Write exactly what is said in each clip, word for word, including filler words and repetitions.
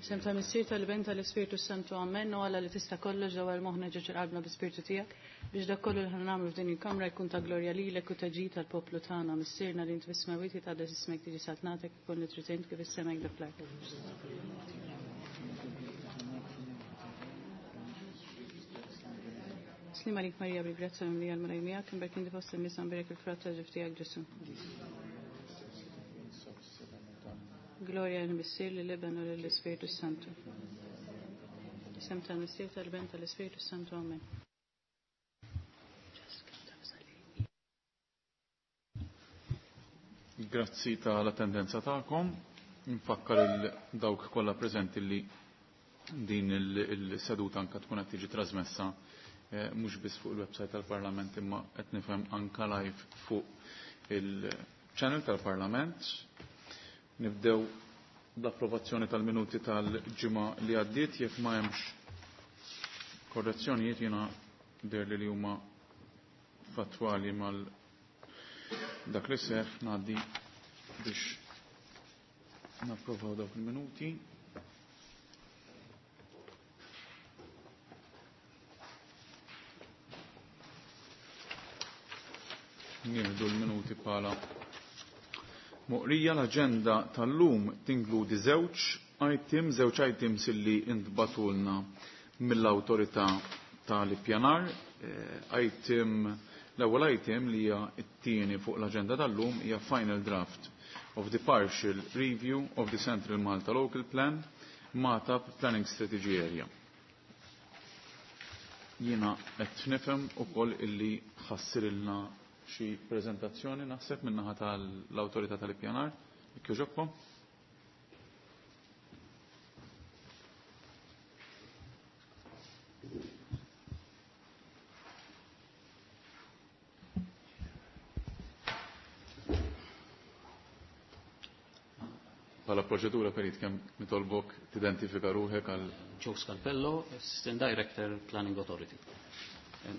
Sem ta' Missier tal-Ben tal-Ispirtu Santu Amen, u Alla li tista' kollox dawar moħħna ġo qalbna bl-Ispirtu tiegħek biex dak kollu li ħa nagħmlu f'din il-kamra jkun ta' glorja lilek u ta' ġid tal-poplu tagħna. Missierna li int fis-smewwiet jitqaddes ismek tiġi saltnatek ikun li trid int kif is-sema hekk fl-art. Sliem għalik Marija bil-grazzja mimlija l-Mulej miegħek, imbierka inti fost in-nisa mbierek il-frott tal-ġuf tiegħek Ġesù. Gloria lill-Missier lill-Iben u lill-Ispirtu Santu. Isem tal-Missier tal-Ben tal-Ispirtu Santu. Amen. Grazzi tal-attendenza tagħkom. Nfakkar il dawk kollha preżenti li din il-seduta anka tkun qed tiġi trasmessa eh, mhux biss fuq il-website tal-Parlament imma qed nifhem anka live fuq il-channel tal-Parlament. Nibdew bl-approvazzjoni tal-minuti tal-ġimgħa li għaddiet jekk ma hemmx korrezzjonijiet jiena deher li huma fattwali mal dak li seħ ngħaddi biex napprovaw dawk il-minuti. Nieħdu l-minuti bħala moqrija. L-aġenda tal-lum tinkludi żewġ item, żewġ items illi intbagħtulna mill-awtorità tal-ippjanar. Eh, item l-ewwel item li hija t-tieni fuq l-aġenda tal-lum hija final draft of the partial review of the Central Malta Local Plan Magħtab Planning Strategy Area. Jiena qed nifhem ukoll illi ħassirilna xi preżentazzjoni naħseb min-naħa tal-awtorità tal-ippjanar. Jekk jogħġobkom. Bħala proċedura perit kemm nitolbok tidentifika ruħek għal Joe Scalpello, Assistant Director, Planning Authority.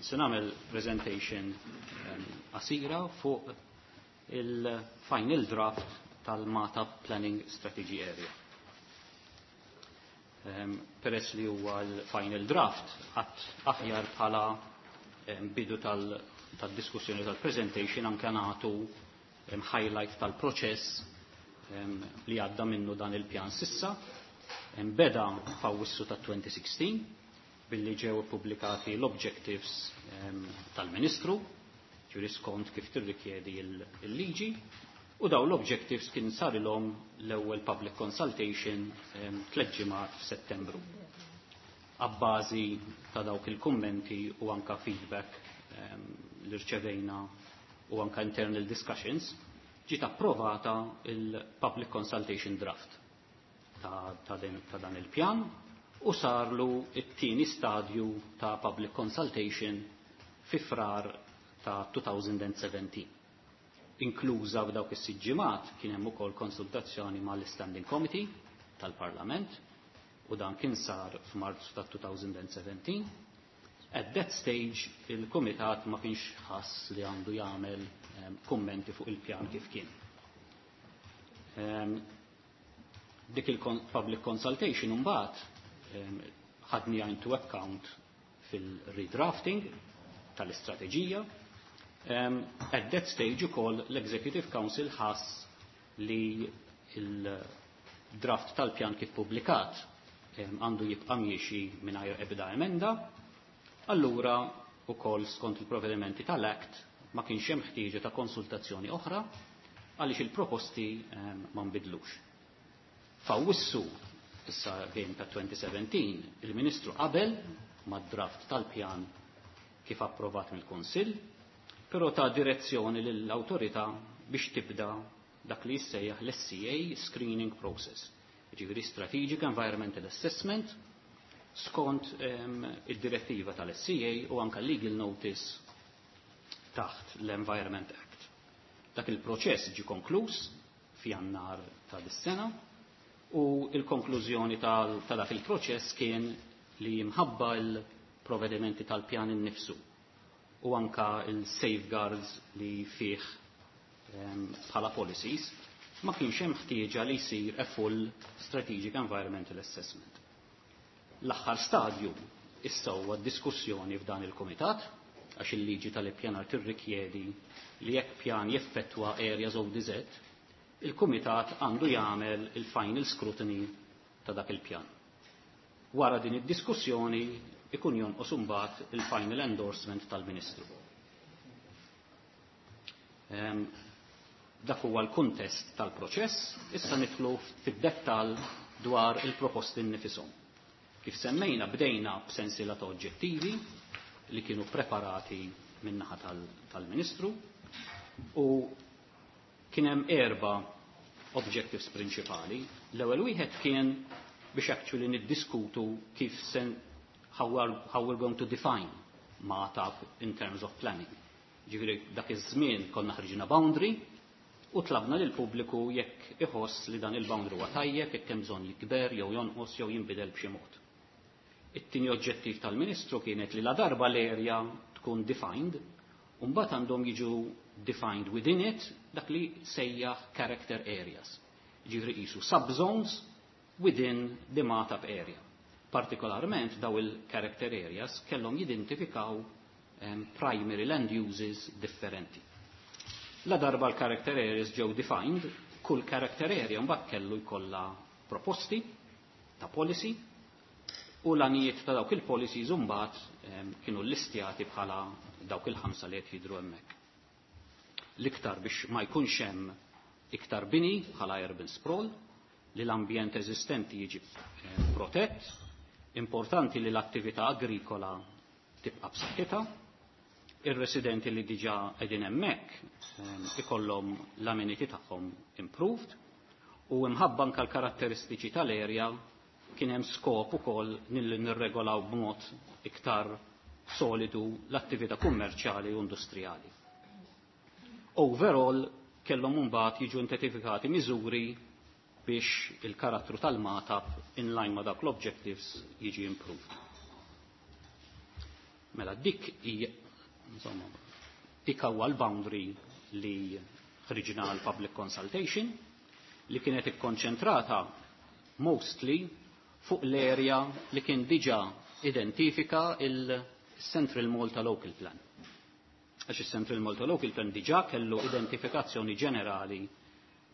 Se nagħmel presentation qasira fuq il-final draft tal-Magħtab Planning Strategy Area. Peress li huwa l-final draft, għat aħjar bħala bidu tal-diskussjoni tal-presentation anke nagħtu highlight tal-proċess li għadda minnu dan il-pjan s'issa. Beda f'Awwissu ta' elfejn u sittax billi ġew ippubblikati l-objectives tal-Ministru, ġuri skont kif tirrikjedi il-liġi, u daw l-objectives kien sarilhom l-ewwel public consultation tliet ġimgħat f'Settembru. Abbażi ta' dawk il-kummenti u anka feedback li rċevejna u anka internal discussions, ġiet approvata il-public consultation draft ta', ta, din, ta' dan il-pjan u sarlu it-tieni stadju ta' public consultation fi Frar ta' elfejn u sbatax. Inkluża f'dawk is-sitt ġimgħat kien hemm ukoll konsultazzjoni mal-Standing Committee tal-Parlament u dan kien sar f'Marzu ta' elfejn u sbatax. At that stage il-Kumitat ma kienx ħass li għandu jagħmel um, kummenti fuq il-pjan kif kien. Um, dik il-public consultation mbagħad um, ħadni into account fil-redrafting tal-istrateġija. Um, at that stage ukoll l-Executive Council ħass li il-draft tal-pjan kif publikat għandu jibqa' miexi mingħajr ebda emenda. Allura ukoll skont il-provvedimenti tal-Act ma kienx hemm ħtieġa ta' konsultazzjoni oħra għaliex il-proposti ma nbidlux. F'Awwissu issa bejn ta' elfejn u sbatax il-Ministru qabel mad-draft tal-pjan kif approvat mill-Kunsill, però ta direzzjoni lill-awtorità biex tibda dak li jissejjaħ l-S E A Screening Process, ġifieri Strategic Environmental Assessment, skont um, id-direttiva tal-S E A u anka legal notice taħt l-Environment Act. Dak il-proċess ġi konkluż f'Jannar ta' dis-sena u il-konklużjoni ta' dak il-proċess kien li minħabba il-provvedimenti tal-pjan innifsu u anka il-safeguards li fih bħala policies ma kienx hemm ħtieġa li jsir a full strategic environmental assessment. L-aħħar stadju issa huwa diskussjoni f'dan il-kumitat, għax il-liġi tal-ippjanar tirrikjedi li jekk pjan jeffettwa areas O D Z, il-kumitat għandu jagħmel il-final scrutiny ta' dak il-pjan. Wara din id-diskussjoni ikun jonqos imbagħad il-final endorsement tal-Ministru. Ehm, dak huwa l-kuntest tal-proċess, issa nidħlu fid-dettall dwar il-proposti nnifisom. Kif semmejna, bdejna b'sensiela ta' oġġettivi li kienu preparati min-naħa tal-Ministru u kien hemm erba' objectives prinċipali. L-ewwel wieħed kien biex actually niddiskutu kif sen how, are, how we're going to define Magħtab in terms of planning. Ġifieri dak iż-żmien konna ħriġna boundary u tlabna lil pubbliku jekk iħoss li dan il-boundary huwa tajjeb, jekk hemm bżonn jikber jew jonqos jew jinbidel b'xi mod. It-tieni oġġettiv tal-Ministru kienet li la darba l-area tkun defined, u mbagħad għandhom jiġu defined within it dak li sejjaħ character areas. Ġifieri qisu subzones within the Magħtab area. Partikolarment daw il-character areas kellhom jidentifikaw um, primary land uses differenti. La darba l-character areas ġew defined, kull character area mbagħad kellu jkollha proposti ta' policy u l-għanijiet ta' dawk il-policies mbagħad um, kienu listjati bħala dawk il-ħamsa li qed jidhru hemmhekk. L-iktar biex ma jkunx hemm iktar bini bħala urban sprawl, li l-ambjent eżistenti jiġi eh, protett, importanti li l-attività agrikola tibqa' b'saħħitha, ir-residenti li diġà qegħdin hemmhekk eh, ikollhom l-amenity tagħhom improved u imħabba anke l-karatteristiċi tal-area kien hemm skop ukoll nilli nirregolaw b'mod iktar solidu l-attività kummerċjali u industrijali. Overall, kellhom mbagħad jiġu identifikati miżuri biex il-karattru tal-Magħtab in line ma dak l-objectives jiġi improved. Mela dik hija, insomma, dik huwa l-boundary li ħriġna għal public consultation li kienet ikkonċentrata mostly fuq l-area li kien diġa identifika il-Central Malta Local Plan. Għax il-Central Malta Local Plan diġa kellu identifikazzjoni ġenerali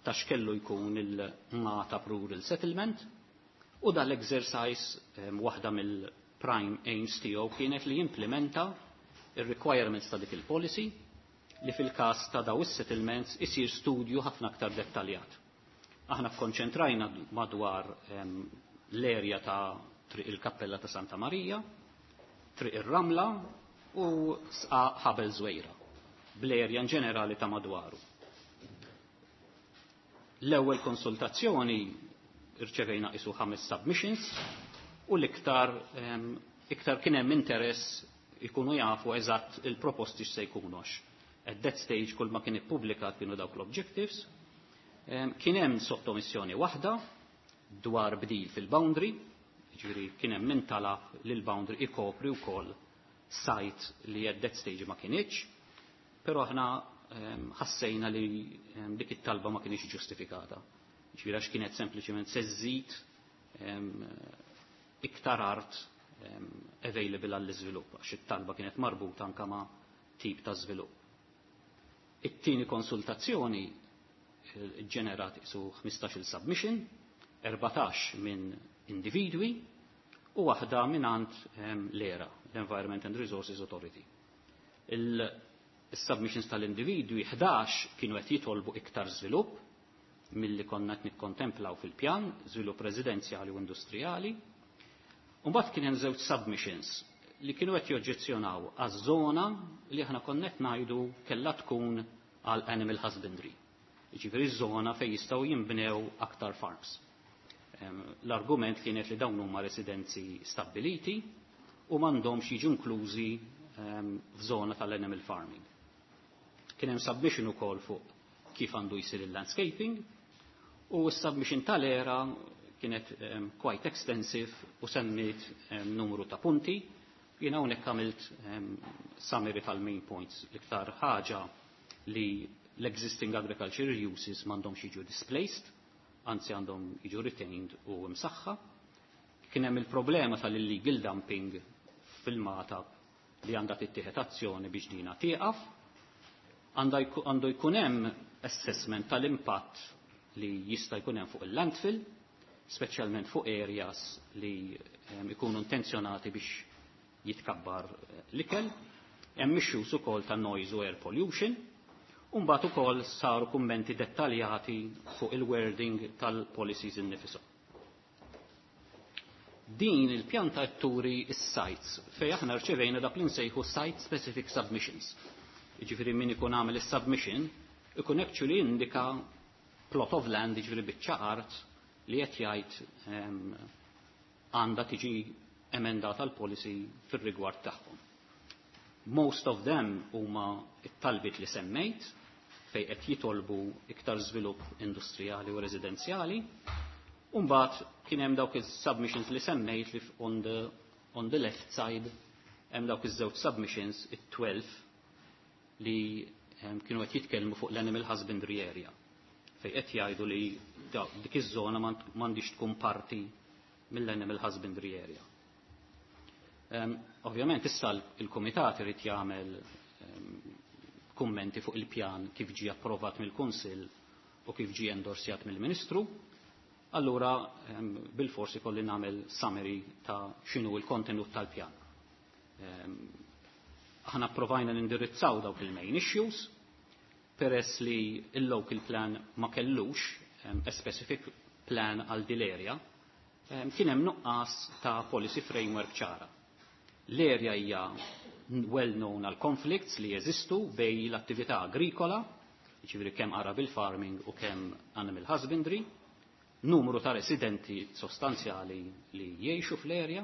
ta' x'kellu jkun il-Magħtab Rural Settlement u dal-exercise um, waħda mill-prime aims tiegħu kienet li jimplementa il-requirements ta' dik il-policy li fil-każ ta' daw is-settlements isir studju ħafna aktar dettaljat. Aħna kkonċentrajna madwar um, l-erja ta' Triq il-Kappella ta' Santa Marija, Triq ir-Ramla u Sqaq Ħabel Żwejra, bl-erja ġenerali ta' madwaru. L-ewwel konsultazzjoni irċevejna isu ħames submissions u l-iktar um, iktar kien hemm interess ikunu jafu eżatt il-proposti x'se jkunu għax. At that stage kull ma kien ippubblikat kienu dawk l-objectives. Um, kien hemm sottomissjoni waħda dwar bdil fil-boundary, ġifieri kien hemm min talab li l-boundary ikopri wkoll site li at that stage ma kienx, però aħna ħassejna li dik it-talba ma kienx ġustifikata. Ġifieri għax kienet sempliċement se żżid iktar art available għall-iżvilupp, għax it-talba kienet marbuta anka ma' tip ta' żvilupp. It-tieni konsultazzjoni ġenerat isu ħmistax-il submission, erbatax minn individwi u waħda minn għand l-ERA, l-Environment and Resources Authority. Il-submissions tal-individwi, ħdax kienu qed jitolbu iktar żvilupp milli konna qed nikkontemplaw fil-pjan, żvilupp residenzjali u industrijali. U mbagħad kien hemm żewġ submissions li kienu qed joġġezzjonaw għaż-żona li aħna konna qed ngħidu kellha tkun għal animal husbandry. Jiġifieri żona fejn jistgħu jinbnew aktar farms. L-argument kienet li dawn huma residenzi stabbiliti u m'għandhomx jiġu inklużi f'żona tal-animal farming. Kien hemm submission ukoll fuq kif għandu jsir il-landscaping u s-submission tal-ERA kienet um, quite extensive u semmit um, numru ta' punti. Jiena hawnhekk għamilt um, summary tal-main points. L-iktar ħaġa li l-existing agricultural uses m'għandhomx jiġu displaced, anzi għandhom jiġu retained u msaħħa. Kien hemm il-problema tal-illegal dumping fil-Magħtab li għandha tittieħed azzjoni biex dina tieqaf. Għandu jkun hemm assessment tal-impatt li jista' jkun hemm fuq il-landfill, speċjalment fuq areas li ikunu intenzjonati biex jitkabbar l-ikel. Hemm issues ukoll ta' noise u air pollution. U mbagħad ukoll saru kummenti dettaljati fuq il-wording tal-policies innifishom. Din il-pjanta turi is-sites fej aħna rċevejna dak li nsejħu site specific submissions. Jiġifieri min ikun għamel is-submission ikun actually indika plot of land, jiġifieri biċċa art li qed jgħid għandha tiġi emendata l-policy fir-rigward tagħhom. Most of them huma it-talbiet li semmejt fej qed jitolbu iktar żvilupp industrijali u residenzjali. Umbagħad kien hemm dawk is-submissions li semmejt li on the, on the left side hemm dawk iż-żewġ submissions, it-tnax, li kienu qed jitkellmu fuq l-animal husbandry area fej qed jgħidu li dik iż-żona m'għandix tkun parti mill-animal husbandry area. Um, ovvjament issa il-kumitat irid jagħmel um, kummenti fuq il-pjan kif ġie approvat mill-Kunsill u kif ġie endorsjat mill-Ministru. Allura um, bil-forsi kolli nagħmel summary ta' x'inhu l-kontenut tal-pjan. Um, aħna provajna nindirizzaw dawk il-main issues, peress li il-local plan ma kellux um, a specific plan għal dil-area, um, kien hemm nuqqas ta' policy framework ċara. L-area hija well known għal conflicts li jeżistu bejn l-attività agrikola, jiġifieri kemm arable farming u kemm animal husbandry, numru ta' residenti sostanzjali li jgħixu fl-area,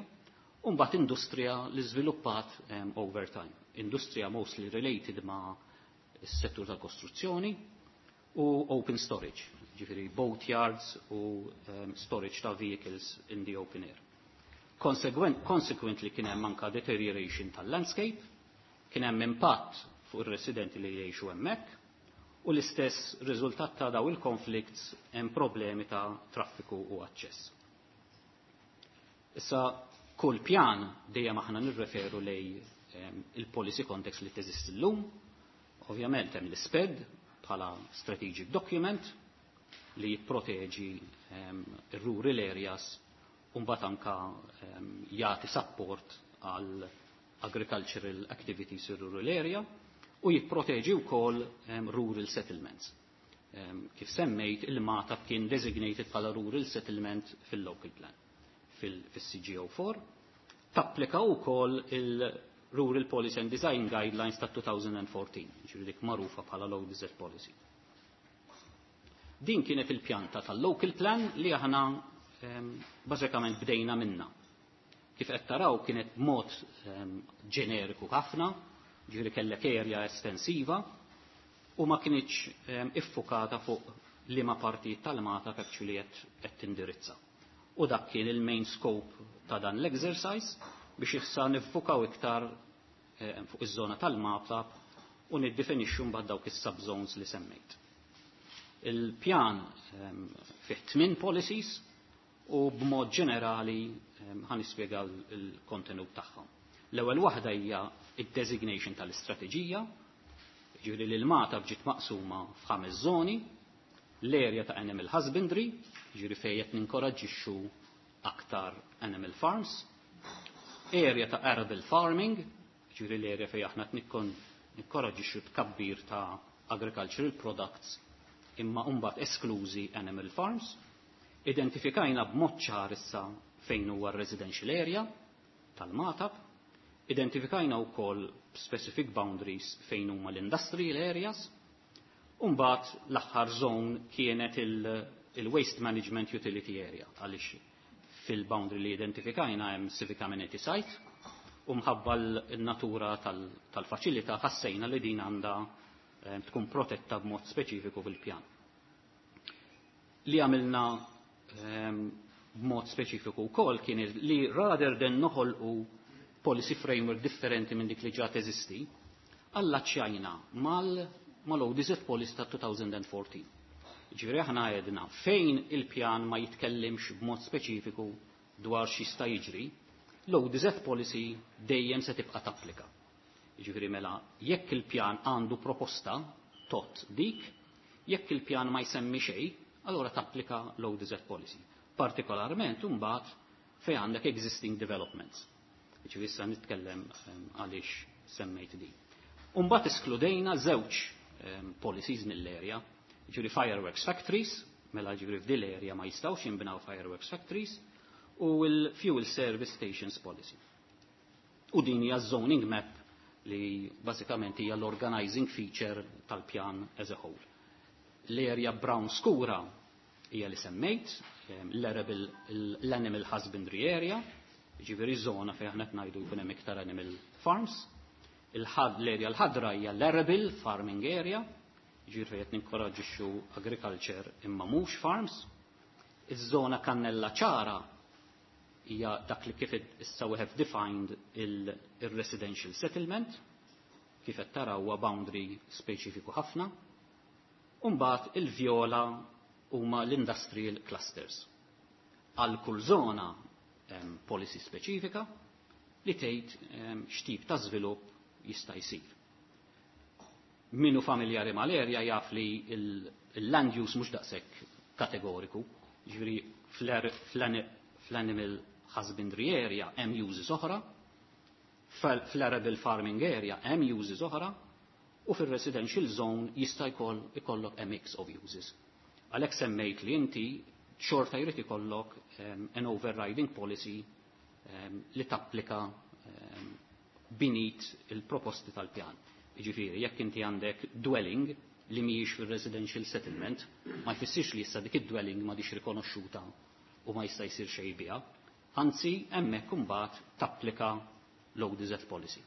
u mbagħad industrija li żviluppat um, over time. Industrija mostly related ma' s-settur tal-kostruzzjoni u open storage, ġifieri boat yards u um, storage ta' vehicles in the open air. Consequent, consequently kien hemm anka deterioration tal-landscape, kien hemm impatt fuq ir-residenti li jgħixu hemmhekk, u l-istess riżultat ta' daw il-conflicts hemm problemi ta' traffiku u aċċess. Issa kull pjan dejjem aħna nirreferu lej um, il-policy context li teżisti llum. Ovvjament hemm l-SPED bħala strategic document li jipproteġi um, ir-rural areas u mbagħad anka um, jagħti support għal agricultural activities in rural area u jipproteġi wkoll um, rural settlements. Um, kif semmejt, il-Magħtab kien designated bħala rural settlement fil-local plan, fil-C G O four. Tapplika wkoll il-Rural Policy and Design Guidelines ta' elfejn u erbatax, ġifieri dik magħrufa bħala L O D Z Policy. Din kienet il-pjanta tal-local plan li aħna um, bażikament bdejna minna. Kif qed taraw, kienet mod um, ġeneriku ħafna, ġifieri kellek area estensiva u ma kinitx um, iffukata fuq liema partijiet tal-Magħtab actually qed tindirizza. U dak kien il-main scope ta' dan l-exercise biex issa niffukaw iktar eh, fuq iż-żona tal-Magħtab u niddefinixxu mbagħad dawk is-subzones li semmejt. Il-pjan um, fih tmien policies u b'mod ġenerali um, ħa nispjega l-kontenut tagħhom. L-ewwel waħda hija id-designation tal-istrateġija, ġifieri li l-Magħtab ġiet maqsuma f'ħames żoni: l-area ta' animal husbandry, ġifieri fejn qed ninkoraġġixxu aktar animal farms, area ta' arable farming, ġifieri l-area fejn aħna ninkoraġġixxu tkabbir ta' agricultural products imma mbagħad esklużi animal farms, identifikajna b'mod ċar issa fejn huwa residential area tal-Magħtab, identifikajna wkoll specific boundaries fejn huma l-industrial areas, u mbagħad l-aħħar zone kienet il-waste management utility area, għaliex fil-boundary li identifikajna hemm civic amenity site u mħabba l-natura tal-faċilità ħassejna li din għandha eh, tkun protetta b'mod speċifiku fil-pjan. Li għamilna ehm, b'mod speċifiku wkoll kien li rather than noħolqu policy framework differenti minn dik li ġa teżisti, allaċċjajna mal mal-O D Z Policy ta' elfejn u erbatax. Ġifieri aħna għedna fejn il-pjan ma jitkellimx b'mod speċifiku dwar x'jista' jiġri, l-O D Z Policy dejjem se tibqa' tapplika. Ġifieri mela jekk il-pjan għandu proposta tot dik, jekk il-pjan ma jsemmi xejn, allora tapplika l-O D Z Policy. Partikolarment imbagħad fejn għandek existing developments. Ġifieri issa nitkellem ehm, għaliex semmejt din. Imbagħad eskludejna żewġ ehm, policies mill-area, ġifieri fireworks factories, mela ġifieri f'dil area ma jistgħux jinbnaw fireworks factories, u l-fuel service stations policy. U din hija zoning map li bażikament hija l-organizing feature tal-pjan as a whole. L-area brown skura hija li semmejt, l-animal husbandry area, ġifieri zona fejn aħna ngħidu jkun hemm iktar animal farms. L-area l-ħadra hija l-arable farming area, ġifieri fejn qed ninkoraġġixxu agriculture imma mhux farms. Iż-żona kannella ċara hija dak li kif issa we have defined il-residential settlement, kif qed taraw huwa boundary speċifiku ħafna. Umbagħad il-vjola huma l-industrial clusters. Għal kull żona hemm policy speċifika li tgħid x'tip ta' żvilupp jista' jsir. Min hu familjari mal-area jaf li il-land use mhux daqshekk kategoriku, ġifieri fl-animal husbandry area hemm uses oħra, fl-arable farming area hemm uses oħra, u fil-residential zone jista' jkoll ikollok a mix of uses. Għalhekk semmejt li inti xorta jrid ikollok um, an overriding policy um, li tapplika um, beneath il-proposti tal-pjan. Jiġifieri, jekk inti għandek dwelling li mhijiex fil-residential settlement, ma jfissirx li issa dik id-dwelling m'għadhiex rikonoxxuta u ma jista' jsir xejn biha. Anzi, hemmhekk imbagħad tapplika l-O D Z policy.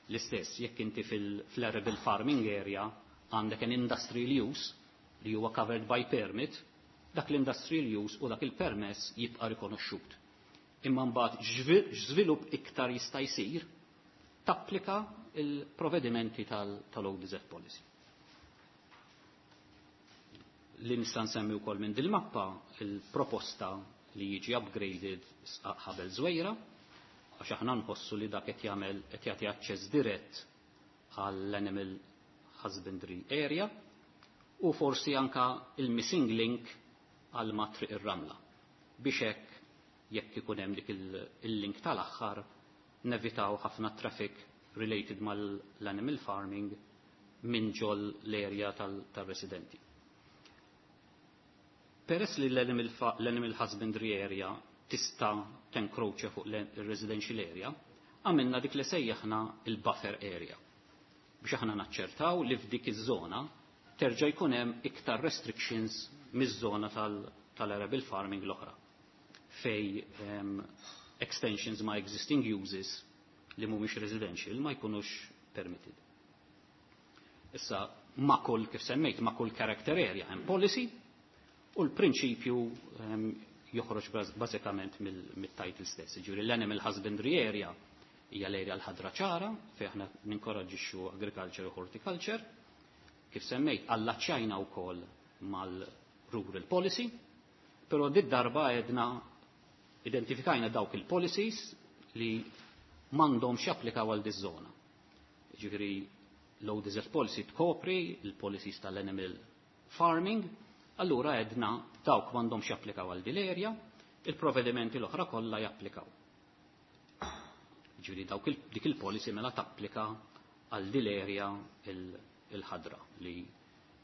L-istess, jekk inti fil-arable farming area għandek an industrial use li huwa covered by permit, dak l-industrial use u dak il-permess jibqa' rikonoxxut. Imma mbagħad x'żvilupp iktar jista' jsir, tapplika il-provvedimenti tal-O D Z policy. Li nista' nsemmi wkoll minn dil-mappa il-proposta li jiġi upgraded Ħabel Żwejra, għax aħna nħossu li dak qed jagħmel qed jagħti aċċess dirett għall-animal husbandry area u forsi anka il-missing link għal ma' Triq ir-Ramla. Biex hekk jekk ikun hemm dik il-link tal-aħħar nevitaw ħafna traffic related mal-animal farming minn ġol l-area tal-residenti. Peress li l-animal husbandry area tista' tenkroċja fuq il-residential area, għamilna dik li sejjaħna il-buffer area. Biex aħna naċċertaw li f'dik iż-żona terġa' jkun hemm iktar restrictions miż-żona tal-arable farming l-oħra fej um, extensions ma' existing uses li mhumiex residential ma jkunux permitted. Issa, ma' kull, kif semmejt, ma' kull character area hemm policy u l-prinċipju um, joħroġ bażikament mill-title stess. Ġifieri l-animal husbandry area hija l-area l-ħadra ċara fejn aħna ninkoraġġixxu agriculture u horticulture. Kif semmejt, allaċċajna wkoll mal-rural policy, però did darba għedna identifikajna dawk il-policies li m'għandhomx japplikaw għal diż-żona. Ġifieri l-O D Z policy tkopri il-policies tal-animal farming, allura għedna dawk m'għandhomx japplikaw għal dil-area, il-provvedimenti l-oħra kollha japplikaw. Ġifieri dawk dik il-policy mela tapplika għal dil-area il-ħadra li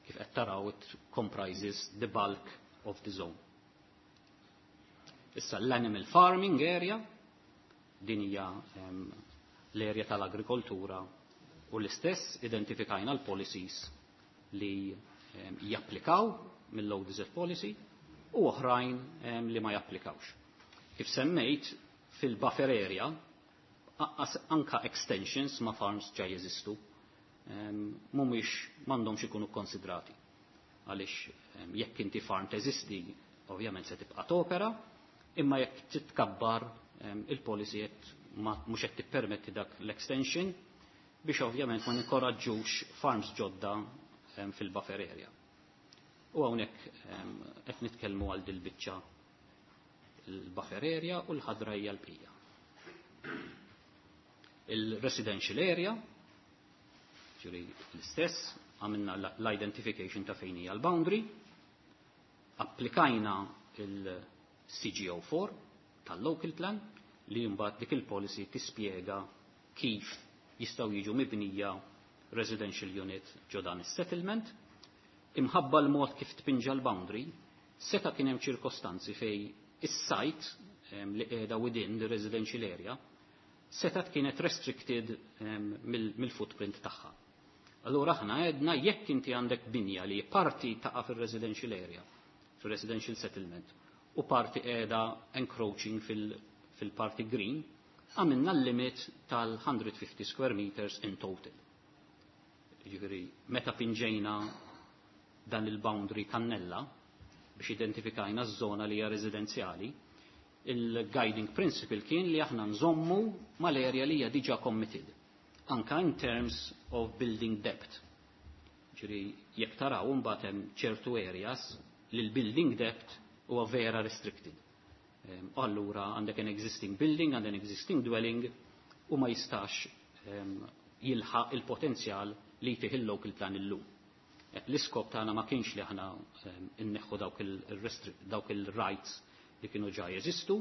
kif qed taraw it comprises the bulk of the zone. Issa l-animal farming area, din hija um, l-area tal-agrikoltura u l-istess identifikajna l-policies li um, japplikaw mill-O D Z policy u oħrajn um, li ma japplikawx. Kif semmejt, fil-buffer area, anka extensions ma' farms ġa jeżistu, mhumiex m'għandhomx ikunu konsidrati. Għaliex jekk inti farm teżisti, ovvjament se tibqa' topera, imma jekk titkabbar il-policy qed mhux qed tippermetti dak l-extension biex ovvjament ma ninkoraġġux farms ġodda fil-buffer area. U hawnhekk qed nitkellmu għal dil-biċċa il-buffer area u l-ħadra hija l-bqija. Il-residential area, ġifieri l-istess, għamilna l-identification ta' fejn hija l-boundary, applikajna il-C G O four tal-local plan li mbagħad dik il-policy tispjega kif jistgħu jiġu mibnija residential unit ġo dan is-settlement. Imħabba l-mod kif tpinġa l-boundary, seta' kien hemm ċirkostanzi fej is-site li qiegħda within the residential area setat kienet restricted mill-footprint tagħha. Allura aħna għedna jekk inti għandek binja li parti taqa' fil-residential area, fil-residential settlement, u parti qiegħda encroaching fil-parti green, għamilna l-limit tal-one hundred fifty square meters in total. Ġifieri, meta pinġejna dan il-boundary kannella biex identifikajna z-zona li hija residenzjali, il-guiding principle kien li aħna nżommu mal-area li hija diġà committed, anka in terms of building depth. Ġifieri, jekk taraw mbagħad hemm ċertu areas li l-building depth huwa vera restricted. Allura għandek an existing building, għandek an existing dwelling u ma jistax jilħaq il-potenzjal li jtih il-local plan illum. L-iskop tagħna ma kienx li aħna inneħħu dawk il-rights li kienu ġa jeżistu.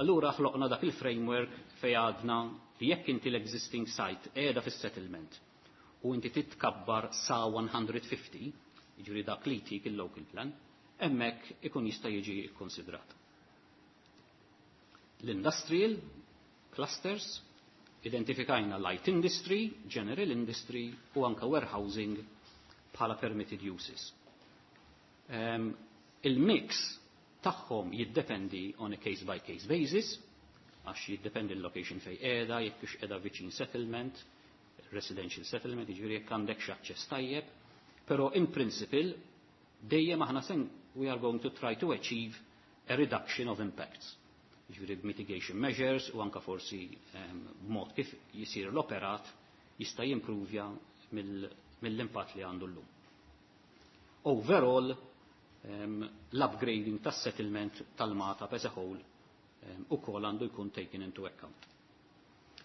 Allura ħloqna dak il-framework fej għadna li jekk inti l-existing site qiegħda fis-settlement u inti titkabbar sa one hundred fifty, jiġifieri dak li jtik il-local plan, hemmhekk ikun jista' jiġi kkonsidrat. L-industrial clusters, identifikajna light industry, general industry u anka warehousing bħala permitted uses. Um, il-mix tagħhom jiddependi on a case by case basis, għax jiddependi l-location fej qiegħda, jekk hux qiegħda viċin settlement, residential settlement, jiġifieri jekk għandek x'aċċess tajjeb, però in principle dejjem aħna sen we are going to try to achieve a reduction of impacts. Jiġifieri mitigation measures u anka forsi b'mod kif jisir l-operat jista' jimprovja mill-impatt li għandu llum. Overall, um, l-upgrading tas-settlement tal-Magħtab as a whole um, ukoll għandu jkun taken into account.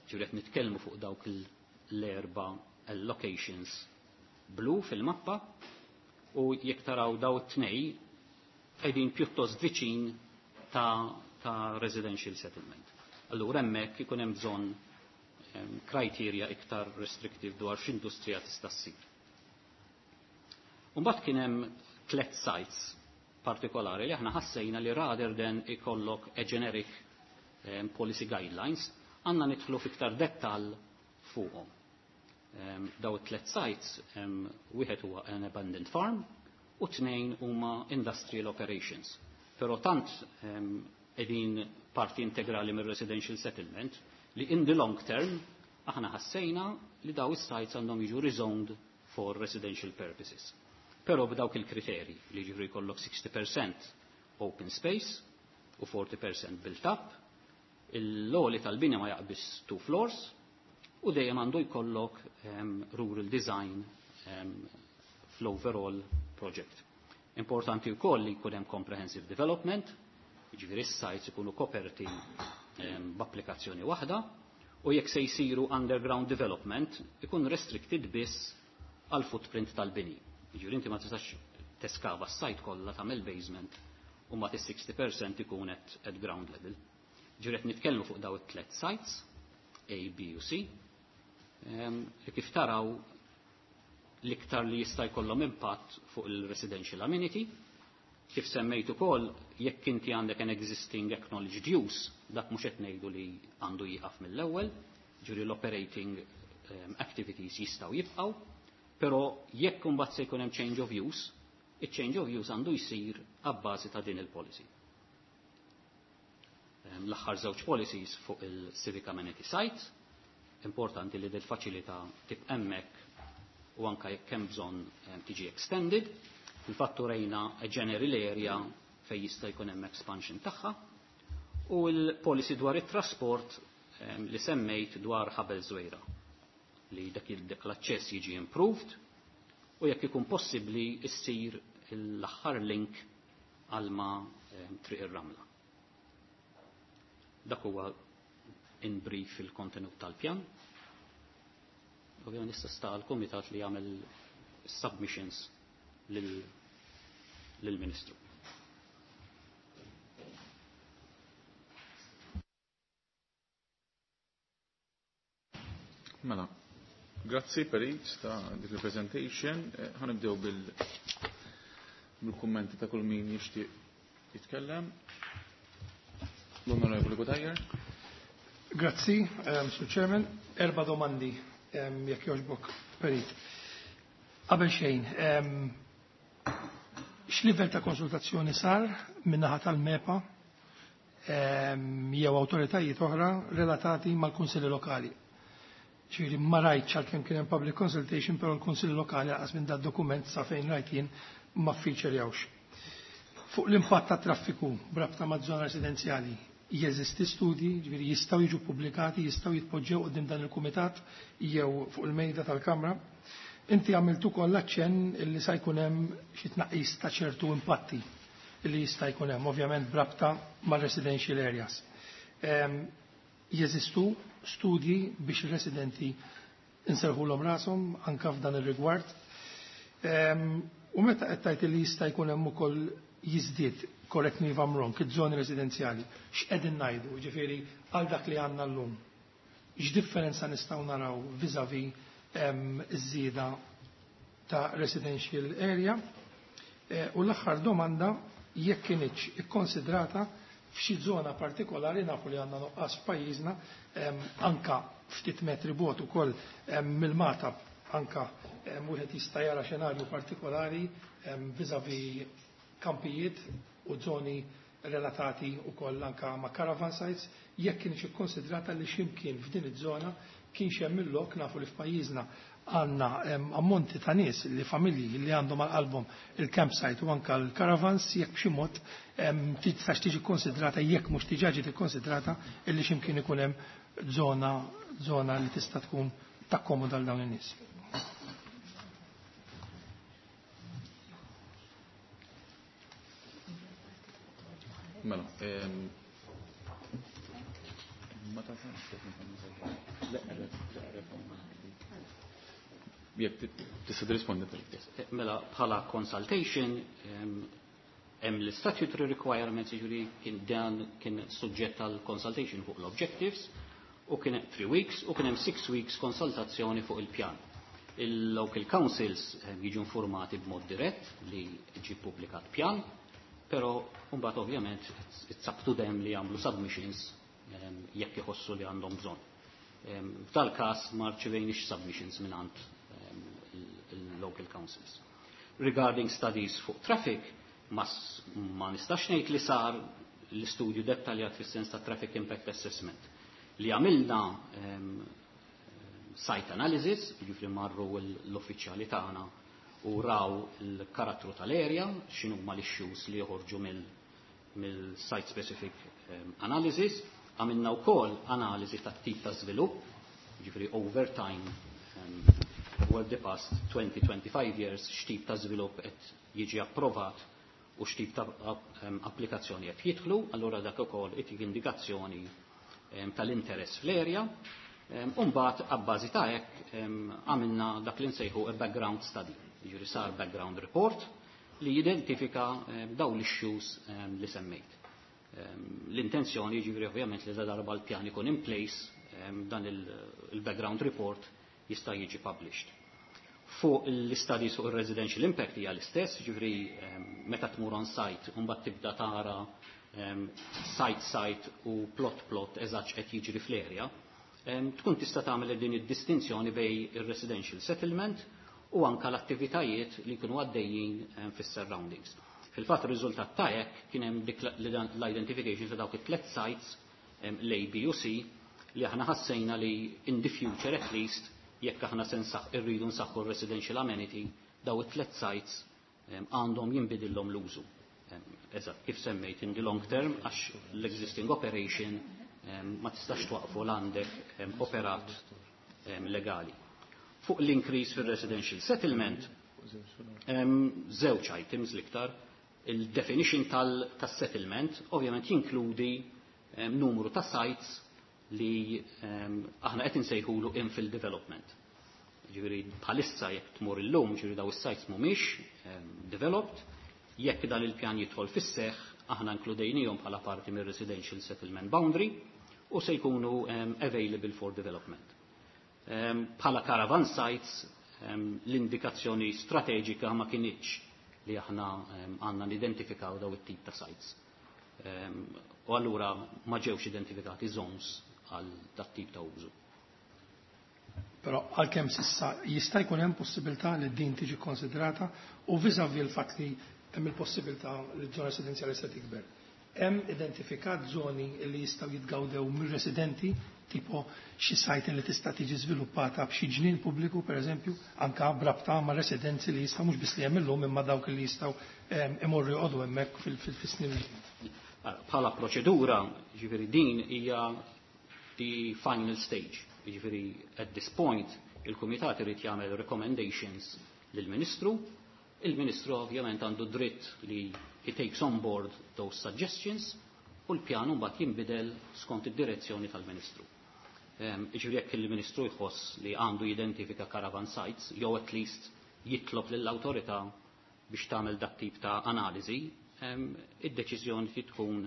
Ġifieri qed nitkellmu fuq dawk l-erba allocations blu fil-mappa u jekk taraw daw it-tnej qegħdin pjuttost viċin ta', ta residential settlement. Allura hemmhekk ikun hemm bżonn criteria iktar restrictive dwar x'industrija tista' ssir. Mbagħad kien hemm tliet sites partikolari li aħna ħassejna li rather than ikollok a generic um, policy guidelines, għandna nidħlu fiktar dettal fuqhom. Um, daw it-tlet sites, um, wieħed huwa an abandoned farm u tnejn huma industrial operations. Però tant um, qegħdin parti integrali mir-residential settlement li in the long term aħna ħassejna li daw is-sites għandhom jiġu rezoned for residential purposes. Però b'dawk il-kriteri li ġifri jkollok sixty percent open space u forty percent built up, l-għoli tal-bini ma jaqbis two floors u dejjem għandu jkollok um, rural design um, fl-overall project. Importanti wkoll li jkun hemm comprehensive development, jiġifieri s-sites ikunu koperti um, b'applikazzjoni waħda, u jekk se jsiru underground development ikun restricted biss għal footprint tal-bini. Jiġifieri inti ma tistax teskava s-site kollha, tagħmel basement u ma sixty percent ikun at, at ground level. Ġifieri qed nitkellmu fuq daw it-tlet sites, A, B u C, um, li kif taraw l-iktar li jista' jkollhom impatt fuq il-residential amenity. Kif semmejt ukoll, jekk inti għandek an existing acknowledged use, dak mhux qed ngħidu li għandu jieqaf mill-ewwel, ġifieri l-operating um, activities jistgħu jibqgħu, però jekk imbagħad se jkun hemm change of use, il-change of use għandu jsir abbażi ta' din il-policy. L-aħħar żewġ policies fuq il-Civic Amenity Site, importanti li del-faċilità tibqa' hemmhekk u anka jekk hemm bżonn tiġi extended. Fil-fatt rejna a general area fejn jista' jkun hemm expansion tagħha u l-policy dwar it-trasport li semmejt dwar Ħabel Żwejra li dak l-aċċess jiġi improved. u jekk ikun possibbli issir l-aħħar link għal ma Triq ir-Ramla. Dak huwa in brief il-kontenut tal-pjan. Ovvjament issa sta l-kumitat li jagħmel submissions lill-Ministru. Mela, grazzi Perit ta' dik il-presentation. Ħa nibdew bil-kummenti ta' kull min jixtieq jitkellem. L-Onorevoli Cutajar. Grazzi, um, Sur Chairman. Erba domandi, um, jekk jogħġbok, Perit. Qabel xejn, um, x'livell ta' konsultazzjoni sar min-naħa tal-MEPA um, jew awtoritajiet oħra relatati mal-kunsilli lokali? Ġifieri ma rajtx għalkemm kien hemm public consultation, però l-kunsilli lokali għas minn dat dokument sa fejn rajt jien ma featurejawx. Fuq l-impatt ta' traffiku b'rabta ma' żona residenzjali, jeżisti studji, ġifieri jistgħu jiġu pubblikati, jistgħu jitpoġġew quddiem dan il-kumitat jew fuq il-mejda tal-Kamra. Inti għamilt ukoll aċċenn illi sa jkun hemm xi tnaqqis ta' ċertu impatti illi jista' jkun hemm, ovvjament b'rabta mar-residential areas. Jeżistu studji biex ir-residenti inserħulhom rashom anke f'dan ir-rigward. U meta qed tgħid li jista' jkun hemm ukoll jiżdied, correct me if I'm wrong, iż-żoni residenzjali, x'qegħdin ngħidu, ġifieri għal dak li għandna llum. X'differenza nistgħu naraw vis-à-vis iż-żieda ta' residential area? U l-aħħar domanda, jekk kienx ikkonsidrata f'xi żona partikolari, nafu li għandna nuqqas f'pajjiżna, anka ftit metri bot ukoll mill-Magħtab, anka wieħed jista' jara xenarju partikolari vis-à-vis kampijiet u żoni relatati ukoll anka ma' caravan sites, jekk kienx ikkonsidrata li x'imkien f'din iż-żona kienx hemm il-lok, nafu li f'pajjiżna għandna ammonti ta' nies li familji li għandhom għal qalbhom il-campsite u anka l-caravans, jekk b'xi mod tistax tiġi konsidrata, jekk mhux diġà ġiet ikkonsidrata illi x'imkien ikun hemm żona żona li tista' tkun takkomoda għal dawn in-nies. Mela, ma jekk tista' tirrispondi. Mela, bħala consultation hemm l-statutory requirements, jiġifieri kien dan kien suġġett għal consultation fuq l-objectives u kien three weeks u kien hemm six weeks konsultazzjoni fuq il-pjan. Il-local councils jiġu informati b'mod dirett li ġi publikat pjan, però mbagħad ovvjament it's up to them li jagħmlu submissions jekk iħossu li għandhom bżonn. F'dal każ ma rċevejniex submissions mingħand il-local councils. Regarding studies fuq traffic, ma, ma nistax ngħid li sar l-istudju dettaljat fis-sens ta' traffic impact assessment. Li għamilna um, site analysis, jiġifieri marru l-uffiċjali tagħna u raw il-karattru tal-area, x'inhu ma l-issues li joħorġu mill-site specific um, analysis, għamilna wkoll analiżi tat-tip ta' żvilupp, jiġifieri over time um, over the past twenty to twenty-five years x'tip ta' żvilupp qed jiġi approvat u x'tip ta' applikazzjoni qed jidħlu, allura dak ukoll itik indikazzjoni tal-interess fl-area. U mbagħad abbażi ta' hekk għamilna dak li nsejħu a background study, jiġifieri sar background report li jidentifika dawn l-issues li semmejt. L-intenzjoni jiġifieri ovvjament li darba l-pjan ikun in place, dan il-background report jista' jiġi published. Fuq l-studies fuq il-residential impact hija l-istess, ġifieri meta tmur on site u mbagħad tibda tara site site u plot plot eżatt qed jiġri fl-area, tkun tista' tagħmel din id-distinzjoni bejn ir-residential settlement u anka l-attivitajiet li jkunu għaddejjin fis-surroundings. Fil-fatt ir-riżultat ta' hekk kien hemm dik l-identification ta' dawk it-tliet sites l-A, B u C li aħna ħassejna li in the future at least jekk aħna se irridu nsaħħu r-residential amenity, daw it-tliet sites għandhom jinbidillhom l-użu. Eżatt, kif semmejt in the long term, għax l-existing operation ma tistax twaqfu l-għandek operat legali. Fuq l-increase fil-residential settlement, Żewġ items l-iktar. Il-definition tal-settlement ovvjament jinkludi numru ta' sites li aħna qed insejħulu infill development. Ġifieri bħalissa jekk tmur illum, ġifieri daw is-sites mhumiex developed, jekk dan il-pjan jidħol fis-seħħ, aħna inkludejnihom bħala parti mir-residential settlement boundary u se jkunu available for development. Bħala caravan sites, l-indikazzjoni strateġika ma kinitx li aħna għandna nidentifikaw daw it-tip ta' sites. U allura ma ġewx identifikati zones għal dat tip ta' użu. Però għalkemm s'issa jista' jkun hemm possibilità li din tiġi konsidrata u vis-à-vis il-fatt li hemm il-possibilità li ż-żona residenzjali se tikber. Hemm identifikat żoni li jistgħu jitgawdew mir-residenti, tipo xi sajt li tista' tiġi żviluppata b'xi ġnien pubbliku pereżempju, anka b'rabta ma' residenzi li jistgħu mhux biss li hemm illum imma dawk li jistgħu imorru joqogħdu hemmhekk fis-snin. Bħala proċedura, ġifieri din hija the final stage. Ġifieri at this point il-kumitat irid jagħmel recommendations lill-Ministru. Il-Ministru ovvjament għandu dritt li he takes on board those suggestions u l-pjan mbagħad jinbidel skont id-direzzjoni tal-Ministru. Ġifieri jekk il-Ministru jħoss li għandu jidentifika caravan sites, jew at least jitlob lill-awtorità biex tagħmel dak tip ta' analiżi, id-deċiżjoni tkun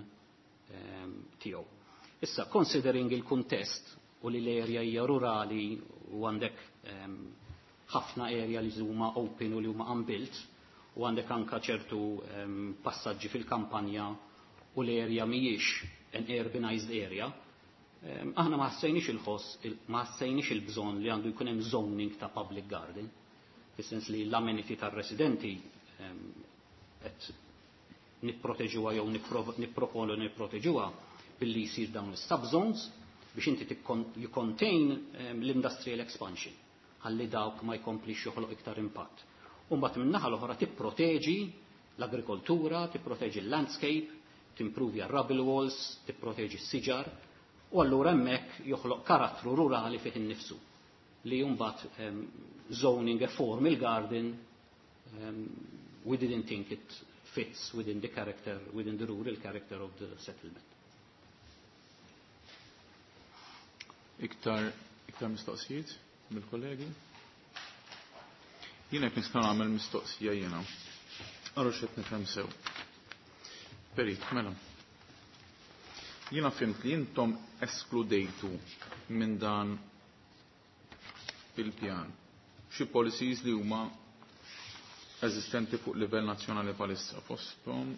tiegħu. Issa, considering il-kuntest u li l-area hija rurali u għandek ħafna area li huma open u li huma unbuilt, u għandek anka ċertu passaġġi fil-kampanja u l-area mhijiex an urbanized area, aħna ma ħassejniex il-ħoss, ma ħassejniex il-bżonn li għandu jkun hemm zoning ta' public garden, fis-sens li l-amenity tar-residenti qed nipproteġuha jew nipproponu nipproteġuha billi jsir dawn is-subzones biex inti you contain l-industrial expansion ħalli dawk ma jkomplix joħloq iktar impatt. U mbagħad min-naħa l-oħra tipproteġi l-agrikoltura, tipproteġi l-landscape, timprovja r-rubble walls, tipproteġi s-siġar, u allura hemmhekk joħloq karattru rurali fih innifsu li mbagħad zoning a formal garden, um, we didn't think it fits within the character, within the rural character of the settlement. Iktar, iktar mistoqsijiet mill-kollegi? Jiena jekk nista' nagħmel mistoqsija jiena. Għarru x'qed nifhem sew. Perit, mela. Jiena fhimt li intom eskludejtu minn dan il-pjan xi policies li huma eżistenti fuq livell nazzjonali bħalissa fosthom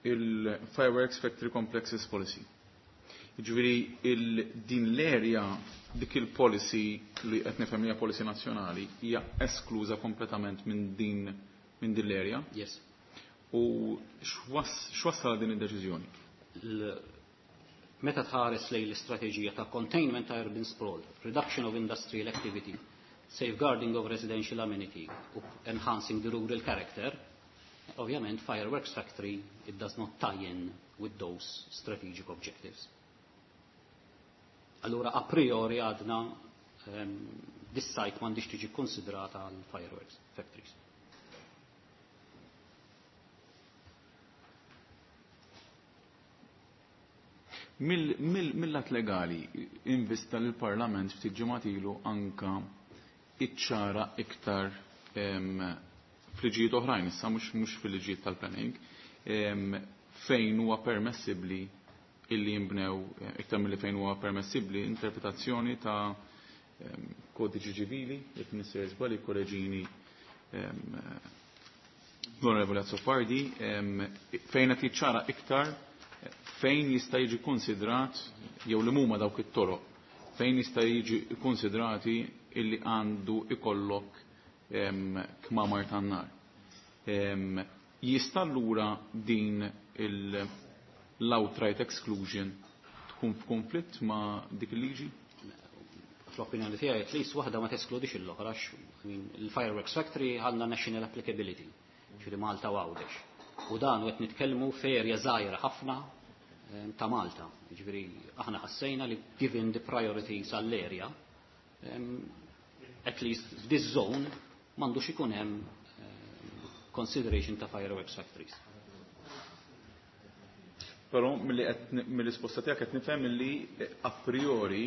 il-Fireworks Factory Complexes Policy. Jiġifieri din l-area dik il-policy li qed nifhem hija policy nazzjonali hija eskluża kompletament minn din minn din l-area. Yes. U x'wassal din id-deċiżjoni? Meta tħares lejn l-istrateġija ta' containment ta' urban sprawl, reduction of industrial activity, safeguarding of residential amenity u enhancing the rural character, ovvjament fireworks factory it does not tie in with those strategic objectives. Allura a priori għadna um, this site m'għandix tiġi konsidrata għal fireworks factories. Mill-lat legali, invista l-Parlament ftit ġimgħat ilu anka iċċara iktar fliġijiet oħrajn, issa mhux mhux fil-liġijiet tal-planning, fejn huwa permessibbli illi jinbnew iktar milli fejn huwa permessibbli interpretazzjoni ta' kodiċi ċivili, jekk nisser żball ikkoreġini l-Onorevoli Azzopardi, fejn qed jiċċara iktar fejn jista' jiġi konsidrat jew li huma dawk it-toroq fejn jista' jiġi konsidrati illi għandu ikollok kmamar tan-nar. Jista' allura din l-outright exclusion tkun f'konflitt ma' dik il-liġi? Fl-opinjoni tiegħi at least waħda ma teskludix l-oħra, il-fireworks factory għandna national applicability, ġifieri Malta u Għawdex. U dan qed nitkellmu f'erja żgħira ħafna ta' Malta. Jiġifieri aħna ħassejna li given the priorities għall-area, at least f'this zone m'għandux ikun hemm consideration ta' fireworks factories. Però mill-risposta tiegħek qed nifhem li a priori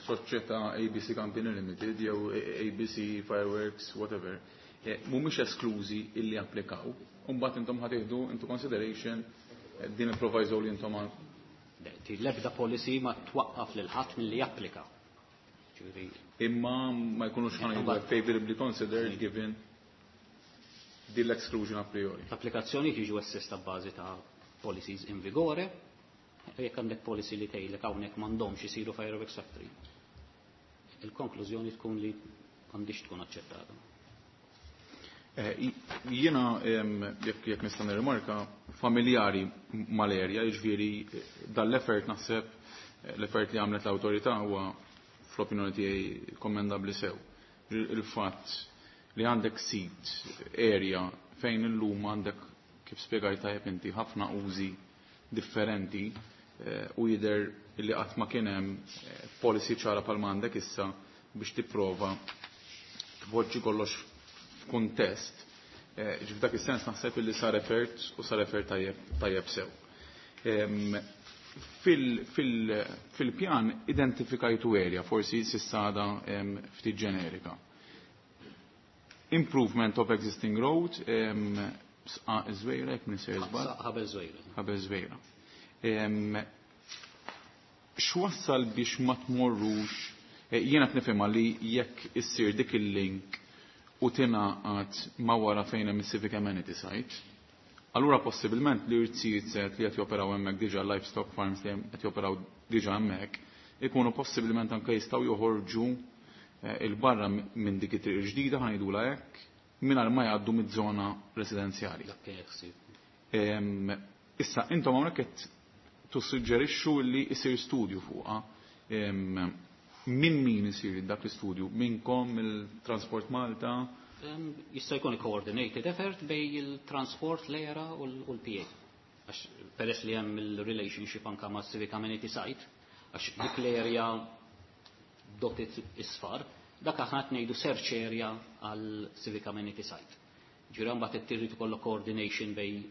soċjetà A B C Company Limited jew A B C Fireworks, whatever, mhumiex esklużi illi applikaw. U mbagħad intom ħa tieħdu into consideration din il-proviso li intom għal. L-ebda policy ma twaqqaf lil ħadd milli japplika. Imma ma jkunux ħa ngħidu favorably considered given din l-exclusion a priori. L-applikazzjoni jiġu assessed b'bażi ta' policies in vigore, jekk għandek policy li tgħidlek hawnhekk m'għandhomx isiru fireworks factory. Il-konklużjoni tkun li m'għandix tkun aċċettata. Jiena jekk jekk nista' nirrimarka familjari mal-erja, jiġifieri dal-effort naħseb l-effort li għamlet l-awtorità huwa fl-opinjoni tiegħi kommendabbli sew. Il-fatt li għandek sit area fejn illum għandek kif spjegajt tajjeb inti ħafna użi differenti u jidher li qatt ma kien hemm policy ċara bħalma għandek issa biex tipprova tpoġġi kollox f'kuntest. Ġif dak is-sens naħseb li sar effort u sar effort tajjeb tajjeb sew. Fil-pjan identifikajtu area, forsi s'issa għadha ftit ġenerika. Improvement of existing road, Sqaq Żwejra, jekk minn sejr żball. Ħabel Żwejra. Ħabel Żwejra. X'wassal biex ma tmorrux, jiena qed nifhimha li jekk issir dik il-link u tingħaqad ma wara fejn hemm is-civic amenity site, allura possibilment li rtijiet li qed joperaw hemmhekk diġà livestock farms li qed joperaw diġà hemmhekk, ikunu possibilment anke jistgħu joħorġu il-barra minn dik it-triq ġdida ħajdula hekk mingħajr ma jgħaddu miż-żona residenzjali. Dak kien ħsieb. Issa intom hawnhekk qed tissuġġerixxu li jsir studju fuqha. Min min isir dak l-istudju? Minnkom il-Transport Malta? Jista' jkun coordinated effort bej il-Transport, l-E R A u l-P A. Għax peress li hemm il-relationship anka ma' Civic Amenity Site, għax dik l-area dotted isfar, dak aħna qed ngħidu search area għal Civic Amenity Site. Ġifieri mbagħad trid ikollok coordination bej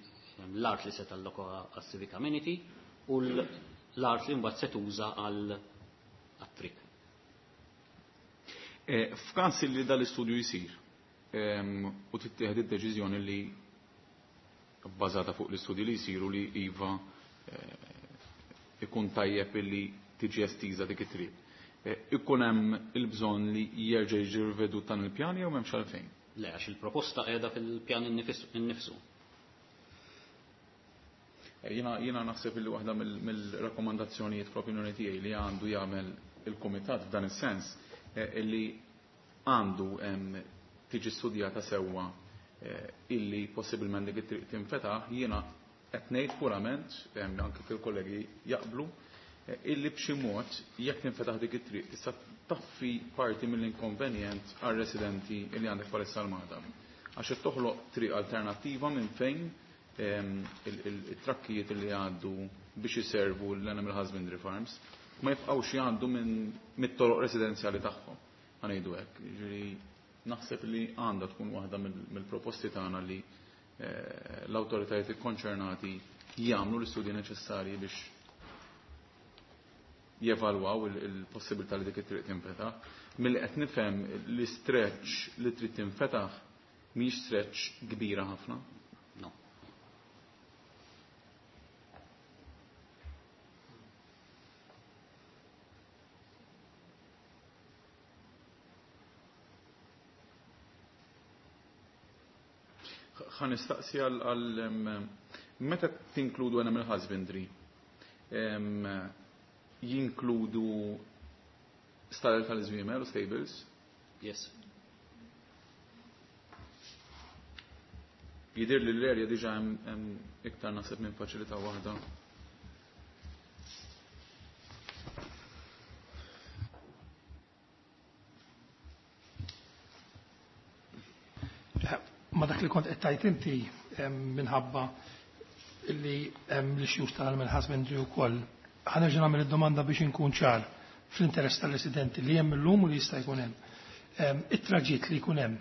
l-art li se talloka għal Civic Amenity u l-art li mbagħad se tuża għal triq. F'każ li dal-istudju jsir u tittieħed id-deċiżjoni li bbażata fuq l-istudji li jsiru li iva ikun tajjeb li tiġi estiża dik it-triq. Ikun hemm il-bżonn li jerġa' jiġi rivedut dan il-pjan jew m'hemmx għalfejn? Le, għax il-proposta qiegħda fil-pjan innifsu. Jiena, jiena naħseb li waħda mill-rakkomandazzjonijiet fl-opinjoni tiegħi li għandu jagħmel il-kumitat f'dan is-sens illi għandu tiġi studjata sewwa illi possibilment dik it-triq tinfetaħ, jiena qed ngħid purament, anke fil-kollegi jaqblu, illi b'xi mod jekk tinfetaħ dik it-triq tista' taffi parti mill-inkonvenjent għar-residenti illi għandek bħalissa l-Magħtab. Għax qed toħloq triq alternattiva minn fejn it-trakkijiet li għaddu biex iservu l-Animal Husbandry Farms ma jibqgħux jgħaddu minn mit-toroq residenzjali tagħhom. Ħa ngħidu hekk, jiġifieri naħseb li għandha tkun waħda mill-proposti tagħna li l-awtoritajiet ikkonċernati jagħmlu l-istudji neċessarji biex jevalwaw il-possibilità li dik it-triq tinfetaħ. Milli qed nifhem li stretch li trid tinfetaħ mhix stretch kbira ħafna. No. Ħa nistaqsi għal meta tinkludu animal husbandry, jinkludu stalel tal-żwiemel u stables? Yes. Jidir li l-erja diġa hemm iktar naħseb minn faċilità waħda. Ma dak li kont qed tgħid inti minħabba li hemm l-issues tal-animal husbandry wkoll. Ħa nerġa' nagħmel id-domanda biex inkun ċar fl-interess tal-residenti li hemm illum u li jista' jkun hemm. It-traġitt li jkun hemm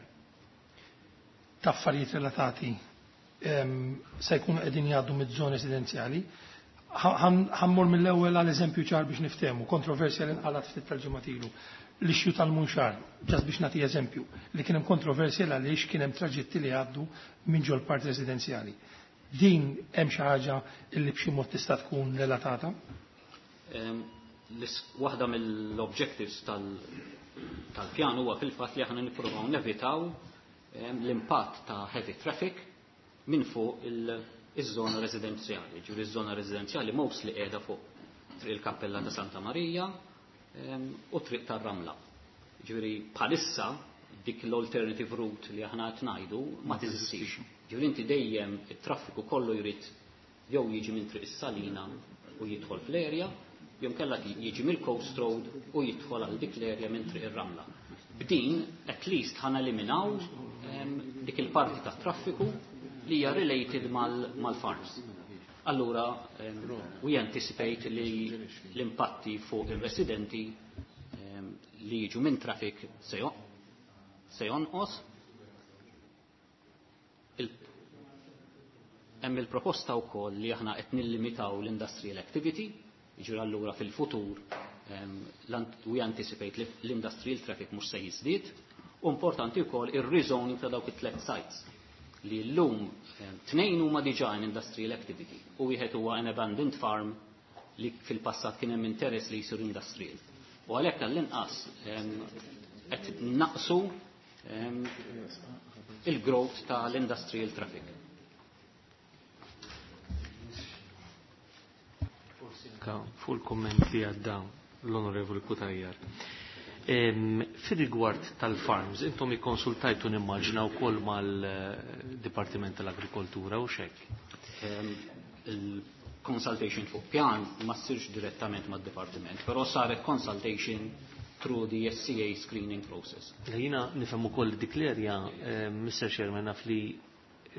ta' affarijiet relatati se jkunu qegħdin jgħaddu miż-żoni residenzjali. Ħa mmur mill-ewwel għal eżempju ċar biex niftehmu, kontroversja li nqalat ftit tal-ġimgħat ilu. L-issue tal-Munxar, just biex nagħti eżempju, li kien hemm kontroversja għaliex kien hemm traġitti li għaddu minn ġol part residenzjali. Din hemm xi ħaġa li b'xi mod tista' tkun relatata? Waħda mill-objectives tal-pjan huwa fil-fatt li aħna nippruvaw nevitaw l-impatt ta' heavy traffic minn fuq iż-żona residenzjali. Ġifieri iż-żona residenzjali mostly qiegħda fuq triq il-Kappella ta' Santa Marija u triq tar-Ramla. Ġifieri bħalissa dik l-alternative route li aħna qed ngħidu ma teżistix. Ġifieri inti dejjem it-traffiku kollu jrid jew jiġi minn triq is-Salina u jidħol fl-area, jew kellha jiġi mill-Coast Road u jidħol għal dik l-area minn triq ir-Ramla. B'din at least ħa neliminaw dik il-parti tat-traffiku li hija related mal-farms. Allura, we anticipate li l-impatti fuq il-residenti li jiġu minn traffic se jonqos. Hemm il-proposta wkoll li aħna qed nillimitaw l-industrial activity, jiġri allura fil-futur we anticipate li l-industrial traffic mhux se jiżdied, u importanti wkoll ir-rezoning ta' dawk it-tliet sites li llum tnejn huma diġà in industrial activity u wieħed huwa an abandoned farm li fil-passat kien hemm interess li jsir industrial. U għalhekk għall-inqas qed naqsu il-growth tal-industrial traffic. Fuq il-komment li għadda l-Onorevoli Cutajar. Fir-rigward tal-farms, intom ikkonsultajtu nimmaġina wkoll mal-Dipartiment tal-Agrikoltura u xek? Il-consultation fuq pjan ma ssirx direttament mad-Dipartiment, però saret consultation through the S C A screening process. Jiena nifhem ukoll dik l-area, Mister Chairman, naf li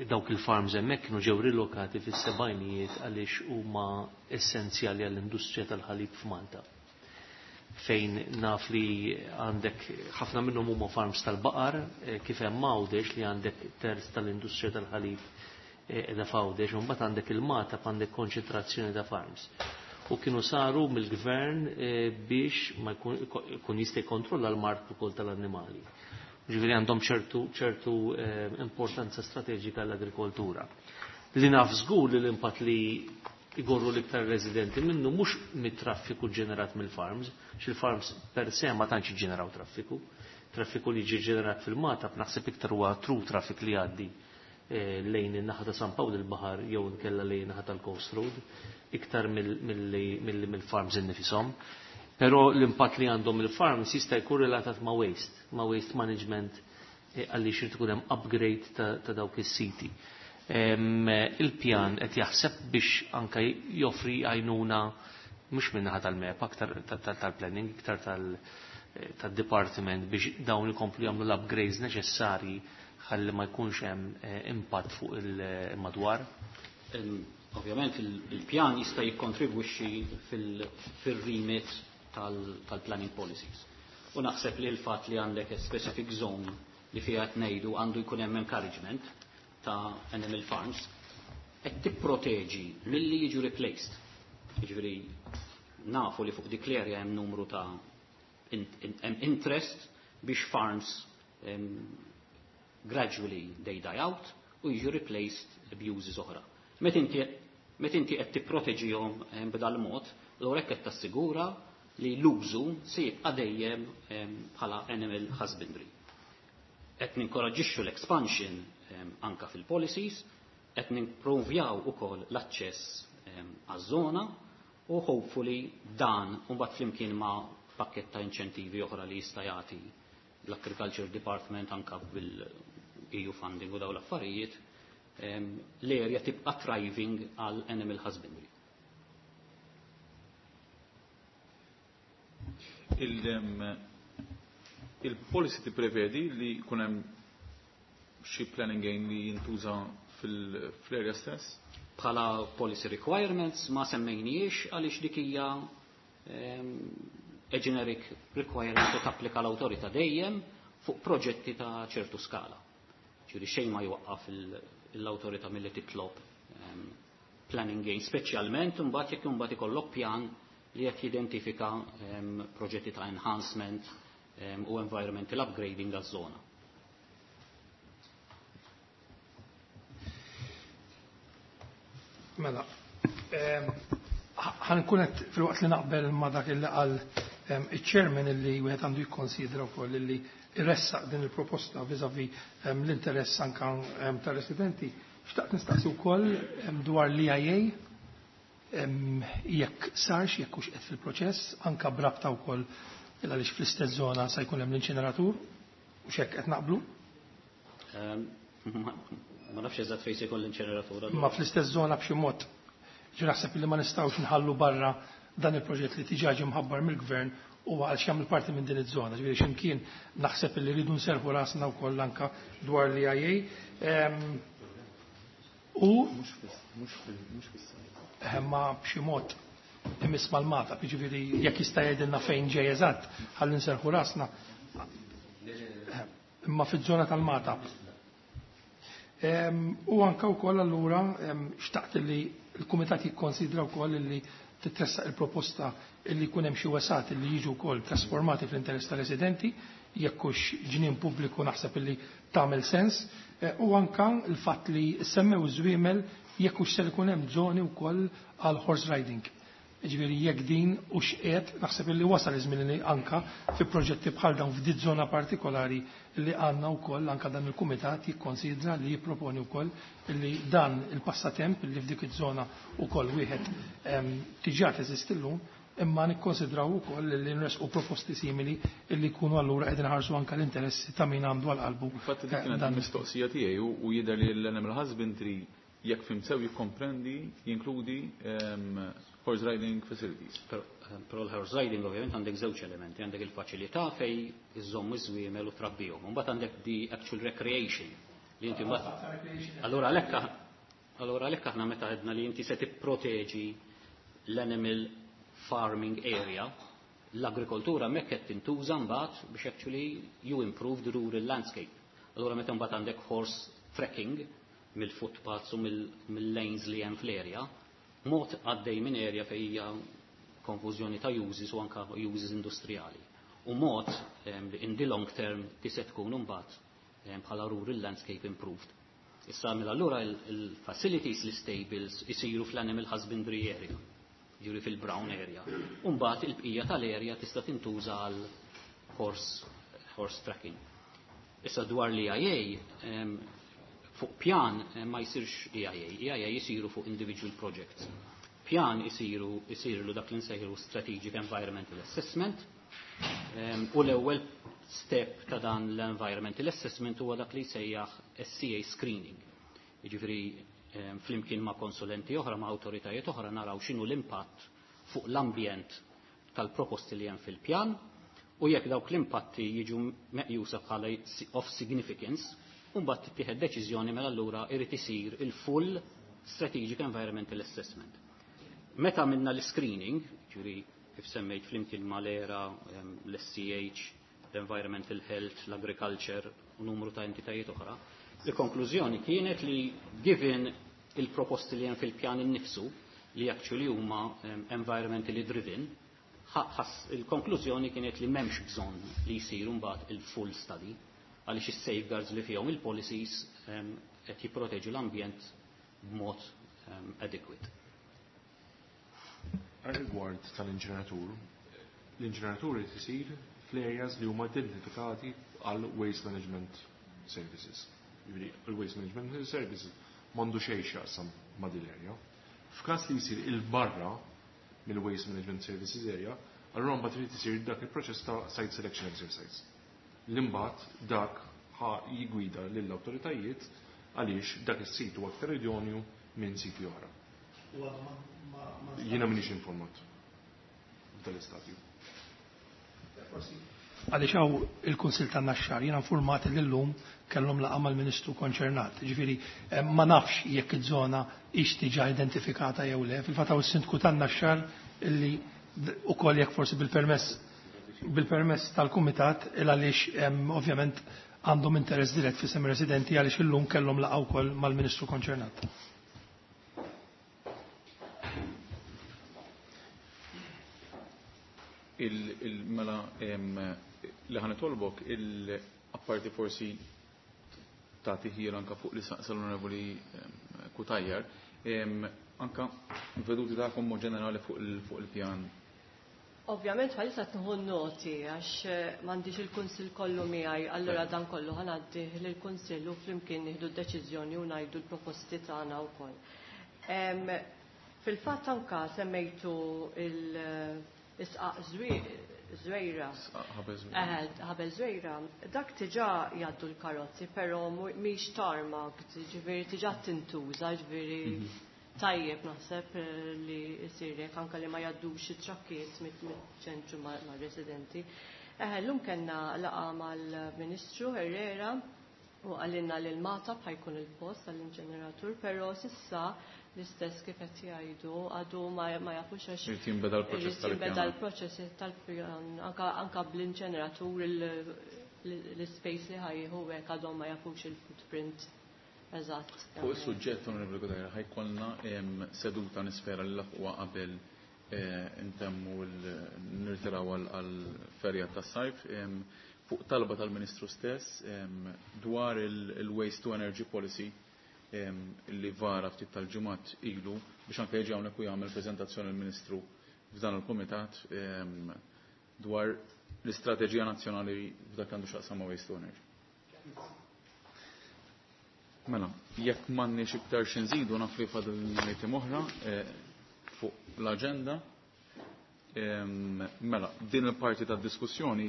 dawk il-farms hemmhekk kienu ġew rilokati fis-sebgħinijiet għaliex huma essenzjali għall-industrija tal-ħalib f'Malta. Fejn naf li għandek ħafna minnhom huma farms tal-baqar, eh, kif hemm Għawdex li għandek terz tal-industrija tal-ħalib eh, qiegħda f'Għawdex, u mbagħad għandek il-Magħtab, għandek konċentrazzjoni ta' farms. U kienu saru mill-gvern eh, biex ma jkun jista' jkontrolla l-mard ukoll tal-annimali. Ġifieri għandhom ċertu, ċertu importanza strateġika l-agrikoltura. Li naf żgur li l-impatt li igorru l-iktar residenti minnu mhux mit-traffiku ġenerat mill-farms, xil-farms per se ma tantx ġeneraw traffiku. Traffiku li ġi ġenerat fil-Magħtab naħseb iktar huwa through traffic li għaddi eh, lejn in-naħa ta' San Pawl il-Baħar jew inkella lejn in-naħa tal-Coast Road, iktar milli mill-farms innifisom. Però l-impatt li għandhom il-farms jista' jkun relatat ma' waste, ma' waste management, eh, għaliex irid ikun hemm upgrade ta', ta dawk is-siti. Il-pjan qed jaħseb biex anka joffri għajnuna mhux min-naħa tal-MEPA, aktar tal-planning, iktar tal-department biex dawn ikomplu jagħmlu l-upgrades neċessarji ħalli ma jkunx hemm eh, impatt fuq il-madwar? Ovvjament il-pjan jista' jikkontribwixxi fil-remit tal-planning policies. U naħseb li l-fatt li għandek specific zone li fiha qed ngħidu għandu jkun hemm encouragement ta' animal farms qed tipproteġi milli jiġu replaced. Jiġifieri nafu li fuq dik l-area hemm numru ta' hemm interest biex farms um, gradually they die out u jiġu replaced b'uses oħra. Meta inti meta inti qed tipproteġihom b'dal mod, allura hekk qed tassigura li l-użu se jibqa' dejjem bħala animal husbandry. Qed ninkoraġġixxu l-expansion anka fil-policies, qed nimprovjaw ukoll l-aċċess għaż-żona u hopefully dan mbagħad flimkien ma' pakket ta' inċentivi oħra li jista' jagħti l-Agriculture Department anka bil-E U funding u daw l-affarijiet, l-area tibqa' thriving għal animal husbandry. Il- Il-policy tipprevedi li jkun hemm xi planning gain li jintuża fil-area stess? Bħala policy requirements ma semmejniex għaliex dik hija a generic requirement li tapplika l-awtorità dejjem fuq proġetti ta' ċertu skala. Ġifieri xejn ma jwaqqaf l-awtorità milli titlob planning gain, speċjalment imbagħad jekk imbagħad ikollok pjan li qed jidentifika proġetti ta' enhancement u environmental upgrading għaż-żona. Mela, ħankun qed filwaqt li naqbel ma' dak li qal iċ-chairman illi wieħed għandu jikkonsidra wkoll illi iressaq din il-proposta vis-à-vis l-interess anka tar-residenti. Xtaqt nistaqsi wkoll dwar l-E I A jekk sarx, jekk hux qed fil-proċess, anka brabta wkoll għaliex fl-istess żona se jkun hemm l-inċineratur u x'hekk qed naqblu. Ma nafx eżatt fejn se jkun l-inċineratur. Ma fl-istess żona b'xi mod. Ġi naħseb li ma nistgħux nħallu barra dan il-proġett li diġà ġie mħabbar mill-gvern u għal xi parti minn din iż-żona. Ġifieri x'imkien naħseb li rridu nserħu rasna wkoll anka dwar l-E I A. U ma b'xi mod imiss mal-Mata, jiġifieri jekk jista' jgħidilna fejn ġej eżatt ħalli nserħu rasna. Imma fiż-żona tal-Mata. U anka wkoll allura xtaqt li l-kumitat jikkonsidra wkoll li titressaq il-proposta li jkun hemm xi wesat li jiġu wkoll trasformati fl-interess tar-residenti, jekk hux ġnien pubbliku naħseb li tagħmel sens, u anka l-fatt li semmew żwiemel jekk hux ser ikun hemm żoni wkoll għal horse riding. Ġifieri jekk din u x'qiegħed naħseb li wasal iż-żmien li anka fi proġetti bħal dawn f'din żona partikolari li għandna wkoll anka dan il-kumitat jikkonsidra li jipproponi wkoll li dan il-passatemp li f'dik iż-żona wkoll wieħed diġà teżisti llum, imma nikkonsidraw ukoll li nresqu proposti simili li jkunu allura qegħdin ħarsu anke l-interessi ta' min għandu għal qalbu. Infatti dik kienet il-mistoqsija tiegħi u jidher li l-animal husbandry jekk fim sew jikkomprendi, jinkludi horse riding facilities. Però l-horse riding ovvjament għandek żewġ elementi, għandek il-faċilità fej iżommu iż-żwiemel u trabbihom, u mbagħad għandek the actual recreation li inti mbagħad. Allura għalhekk allura għalhekk aħna meta għedna li inti se tipproteġi l-animal farming area, l-agrikoltura hemmhekk qed tintuża mbagħad biex actually you improve the rural landscape. Allura meta mbagħad għandek horse trekking mill-footpaths u mill-lanes li hemm fl-area, mod għaddej minn area fejn hija konfużjoni ta' uses u anka uses industrijali. U mod li in the long term ti se tkun imbagħad bħala rural landscape improved. Issa mela allura il-facilities, l-stables isiru fl-animal husbandry area, ġifieri fil-brown area. U mbagħad il-bqija tal-area tista' tintuża għal horse, horse tracking. Issa dwar l-E I A, fuq pjan ma jsirx E I A, E I A jisiru fuq individual projects. Pjan isiru, isiru dak li nsejħu Strategic Environmental Assessment, u l-ewwel step ta' dan l-Environmental Assessment huwa dak li jsejjaħ S C A screening. Jiġifieri flimkien ma' konsulenti oħra, ma' awtoritajiet oħra naraw x'inhu l-impatt fuq l-ambjent tal-proposti li hemm fil-pjan, u jekk dawk l-impatti jiġu meqjusa bħala of significance, u mbagħad tittieħed deċiżjoni mela allura irid isir il-full Strategic Environmental Assessment. Meta minna l-screening, ġifieri kif semmejt flimkien mal-E R A, l-S C H, l-Environmental Health, l-Agriculture u numru ta' entitajiet oħra, il-konklużjoni kienet li given il-proposti li hemm fil-pjan innifsu li actually huma environmentally driven, il-konklużjoni kienet li m'hemmx bżonn li jsir mbagħad il-full study għaliex is-safeguards li fihom il-policies qed jipproteġu l-ambjent b'mod adequate. Rigward tal-inġeneratur, l-inġeneratur irid isir fl-areas li huma identifikati għal waste management services. Jiġifieri il-waste management services m'għandu xejn x'jaqsam ma' din l-area. F'każ li jsir il-barra mill-waste management services area, allura mbagħad irid isir dak il-proċess ta' site selection exercise. L-imbagħad dak ħa jigwida lill-awtoritajiet għaliex dak is-sit huwa aktar idonju minn siti oħra. Jiena m'iniex informat f'dan l-istadju. Forsi Għaliex hawn il-Kunsill tan-Naxxar jiena informat li llum kellhom laqgħa mal-Ministru konċernat. Ġifieri ma nafx jekk iż-żona hix diġà identifikata jew le. Fil-fatt hawn is-Sindku tan-Naxxar illi ukoll jekk forsi bil-permess bil-permess tal-Kumitat il għaliex ovvjament għandhom interess dirett f'isem residenti għaliex illum kellhom laqgħa wkoll mal-Ministru konċernat. Il-mela li ħa nitolbok il-apparti forsi tagħti ħjiel anka fuq li saqsa l-Onorevoli Cutajar, anka veduti tagħkom mod ġenerali fuq il-pjan. Ovvjament bħalissa tnieħu noti għax m'għandix il-Kunsill kollu miegħi, allura dan kollu ħa ngħaddih lill-Kunsill u flimkien nieħdu d-deċiżjoni u ngħidu l-proposti tagħna wkoll. Fil-fatt anka semmejtu il-isqaq Żwejra. Ħabel Żwejra. Dak diġà jgħaddu l-karozzi, però mhix tarmac, ġifieri diġà tintuża, ġifieri tajjeb naħseb li jsir hekk anke li ma jgħaddux it-trakkiet miċ-ċentru mar-residenti. Eħe, llum kellna laqgħa mal-Ministru Herrera u qalilna li l-Magħtab ħa jkun il-post għall-inġeneratur, però s'issa l-istess kif qed jgħidu għadu ma jafux għax Irid jinbeda l-proċess irid jinbeda l-proċess tal-pjan anka bl-inġeneratur l-space li ħa jieħu hekk għadhom ma jafux il-footprint eżatt. Fuq is-suġġett, Onorevoli Cutajar, ħa jkollna seduta nispera li laħquha qabel intemmu nirtiraw għall-ferja tas-sajf fuq talba tal-Ministru stess dwar il-Waste to Energy Policy li vara ftit tal-ġimgħat ilu biex anke jiġi hawnhekk u jagħmel preżentazzjoni l-Ministru f'dan il-Kumitat dwar l-istrateġija nazzjonali f'dak li għandu x'jaqsam ma' Waste to Energy. Mela, jekk m'għandniex iktar xi nżidu naf li fadal item oħra fuq l-aġenda. Mela, din il-parti tad-diskussjoni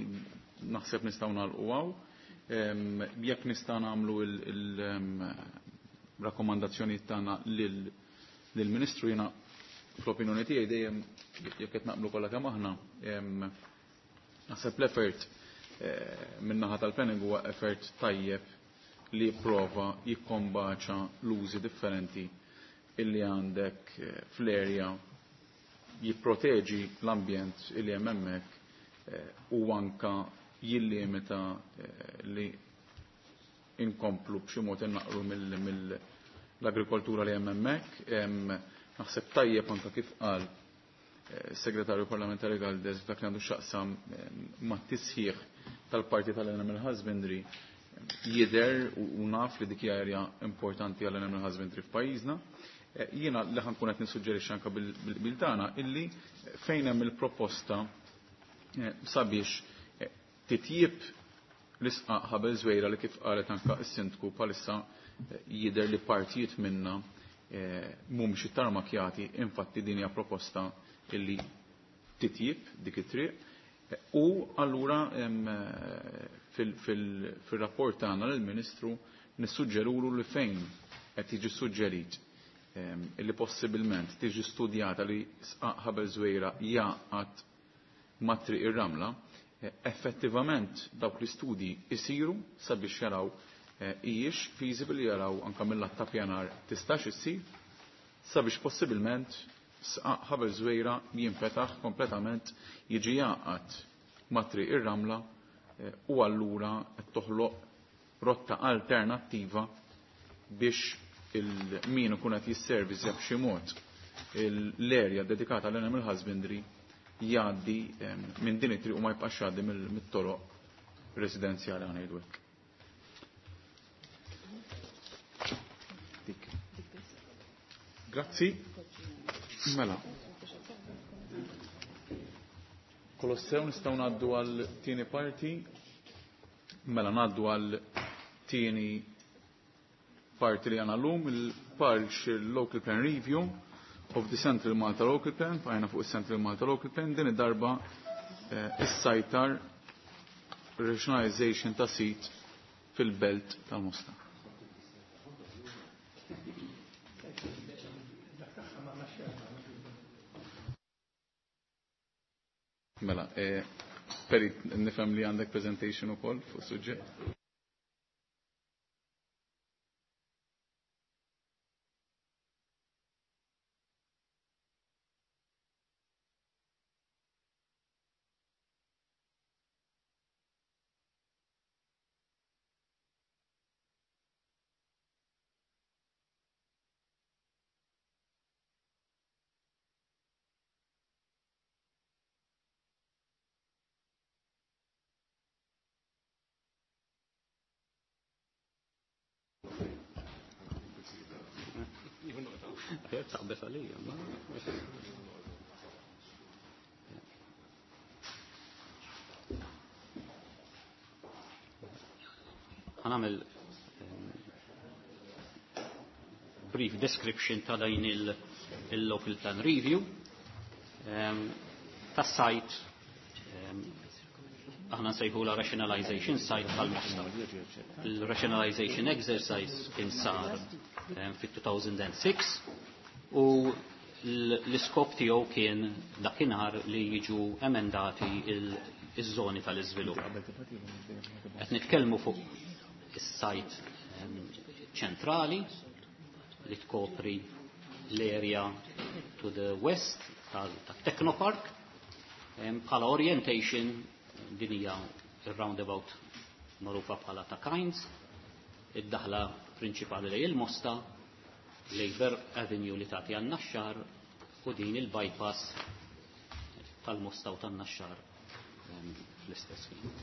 naħseb nistgħu nagħlqu hawn. Jekk nistgħu nagħmlu il-rakkomandazzjoni tagħna lill-Ministru, jiena fl-opinjoni tiegħi dejjem jekk qed naqblu kollha kemm aħna, naħseb l-effort min-naħa tal-planning huwa effort tajjeb li jipprova jikkombaċa l-użi differenti illi għandek fl-area, jipproteġi l-ambjent illi hemm hemmhekk u anka jillimita li inkomplu b'xi mod innaqru mill-agrikoltura li hemm hemmhekk. Naħseb tajjeb anka kif qal segretarju parlamentari Galdes dak li għandu x'jaqsam mat-tisħiħ tal-parti tal-animal husbandry jidher u naf li dik hija area importanti għall-animal husbandry f'pajjiżna. Jiena li ħa nkun qed nissuġġerixxi anke bil-qbil tagħna illi fejn hemm il-proposta sabiex titjib l-isqaq Ħabel Żwejra li kif qalet anke s-sindku bħalissa jidher li partijiet minna mhumiex ittarmakjati, infatti din hija proposta illi titjib dik it-triq. U allura fil-rapport tagħna lill-Ministru nissuġġerulu li fejn qed jiġi suġġerit illi possibilment tiġi studjata li sqaq Ħabel Żwejra jaqgħad ma' triq ir-ramla, effettivament dawk l-istudji isiru sabiex jaraw hijiex feasible, jaraw anka mill-lat ta' pjanar tistax issir sabiex possibilment sqaq Ħabel Żwejra jinfetaħ kompletament, jiġi jaqgħad ma' triq ir-ramla u allura qed toħloq rotta alternattiva biex il-min ikun qed jisservizja b'xi mod l-erja dedikata l-animal husbandry jgħaddi minn din it-triq u ma jibqax jgħaddi mit-toroq residenzjali ħa ngħidu hekk. Dik. Grazzi. Mela. Kolossew nistgħu ngħaddu għal tieni parti. Mela ngħaddu għal tieni parti li għandna llum, il-Partial Local Plan Review of the Central Malta Local Plan, fajna fuq il-Central Malta Local Plan, din id-darba is-sajtar rationalization ta' sit fil-belt tal-Mosta. Mela, Perit, nifhem li għandek presentation ukoll fuq suġġett. Taqbes għalija, ma? Ħa nagħmel brief description ta' din il-local plan review tas-site aħna nsejħula rationalization site tal-Mosta. Il-rationalization exercise kien sar fit-two thousand six u l-iskop tiegħu kien dakinhar li jiġu emendati iż-żoni tal-iżvilupp. Qed nitkellmu fuq is-site ċentrali li tkopri l-area to the west tal-Technopark. Bħala orientation, din hija il-roundabout magħrufa bħala ta' Kynes, id-daħla prinċipali lejn il-Mosta, Labour Avenue li tagħti għan-Naxxar u din il-bypass tal-Mosta u tan-Naxxar fl-istess ħin.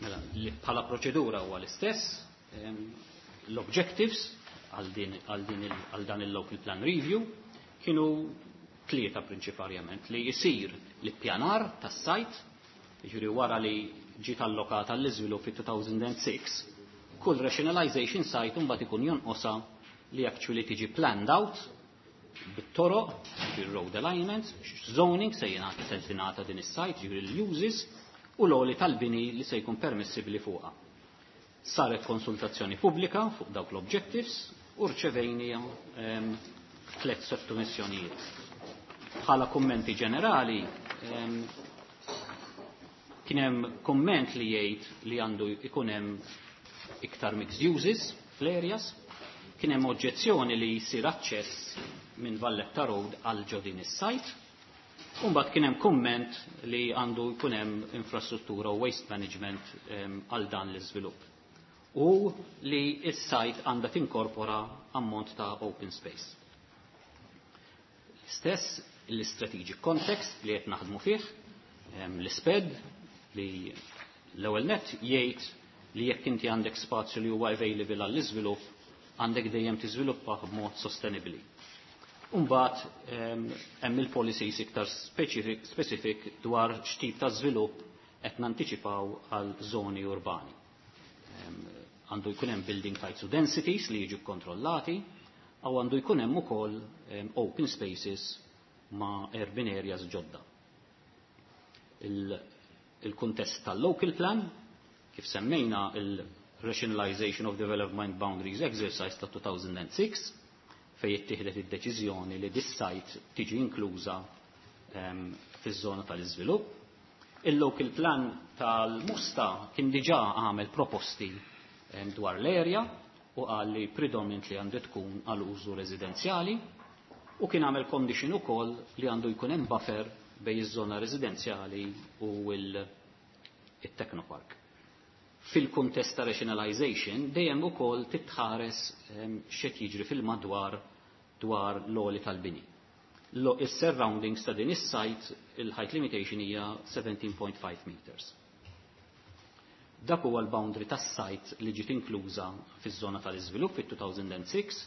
Mela, bħala proċedura huwa l-istess, l-objectives għal dan il-local plan review kienu tlieta prinċiparjament: li jisir l-ippjanar tas-site, jiġifieri wara li ġiet allokata l-iżvilupp fit-two thousand six, kull rationalization site mbagħad ikun jonqosha li actually tiġi planned out bit-toroq, ġifieri road alignments, zoning se jingħata se tingħata din is-site, ġifieri l-uses u l-għoli tal-bini li se jkun permissibbli fuqha. Saret konsultazzjoni pubblika fuq dawk l-objectives u rċevejna ehm, tliet sottomissjonijiet. Bħala kummenti ġenerali, ehm, kien hemm komment li jgħid li għandu ikun hemm iktar mixed uses fl-areas, kien hemm oġġezzjoni li jsir aċċess minn Valletta Road għal ġo din is-site, u mbagħad kien hemm kumment li għandu jkun hemm infrastruttura u waste management għal dan l-iżvilupp. U li s-site għandha tinkorpora ammont ta' open space. Stess l-strategic context li qed naħdmu fih, l-SPED li l-ewwel net jgħid li jekk inti għandek spazju li huwa available għall-iżvilupp, għandek dejjem tiżviluppa b'mod sostenibbli. Umbagħad hemm il-policies iktar specific, specific dwar x'tip ta' żvilupp qed nantiċipaw għal żoni urbani. Għandu jkun hemm building heights u densities li jiġu kontrollati, u għandu jkun hemm ukoll open spaces ma' urban areas ġodda. Il-kuntest tal-local plan, kif semmejna, il-Rationalization of Development Boundaries Exercise ta' two thousand six, fej ittieħdet id-deċiżjoni li dis-site tiġi inkluża um, fiż-żona tal-iżvilupp. Il-local plan tal-Mosta kien diġà għamel proposti um, dwar l-area u qal li predominantly għandu tkun għal użu residenzjali u kien għamel condition ukoll li għandu jkun hemm buffer bejn iż-żona residenzjali u il-Technopark. Fil-kuntest ta' rationalization dejjem ukoll titħares x'qed jiġri fil-madwar dwar l-għoli tal-bini. Is-surroundings ta' din is-site, il-height limitation hija seventeen point five meters. Dak huwa l-boundary tas-site li ġiet inkluża fiż-żona tal-iżvilupp fit-two thousand six,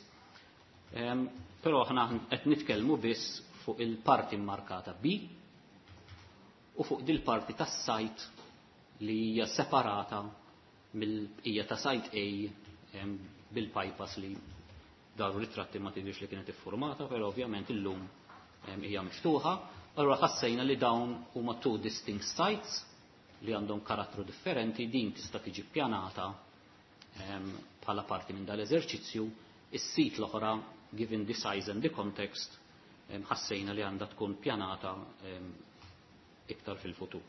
però aħna qed nitkellmu biss fuq il-parti markata B u fuq dil-parti tas-site li hija separata mill-bqija ta' site A bil-bypass li daru ritratti ma tidhirx li kienet iffurmata, però ovvjament illum hija miftuħa. Allura ħassejna li dawn huma two distinct sites li għandhom karattru differenti, din tista' tiġi ppjanata bħala parti minn dal-eżerċizzju, is-sit l-oħra, given the size and the context, ħassejna li għandha tkun pjanata iktar fil-futur.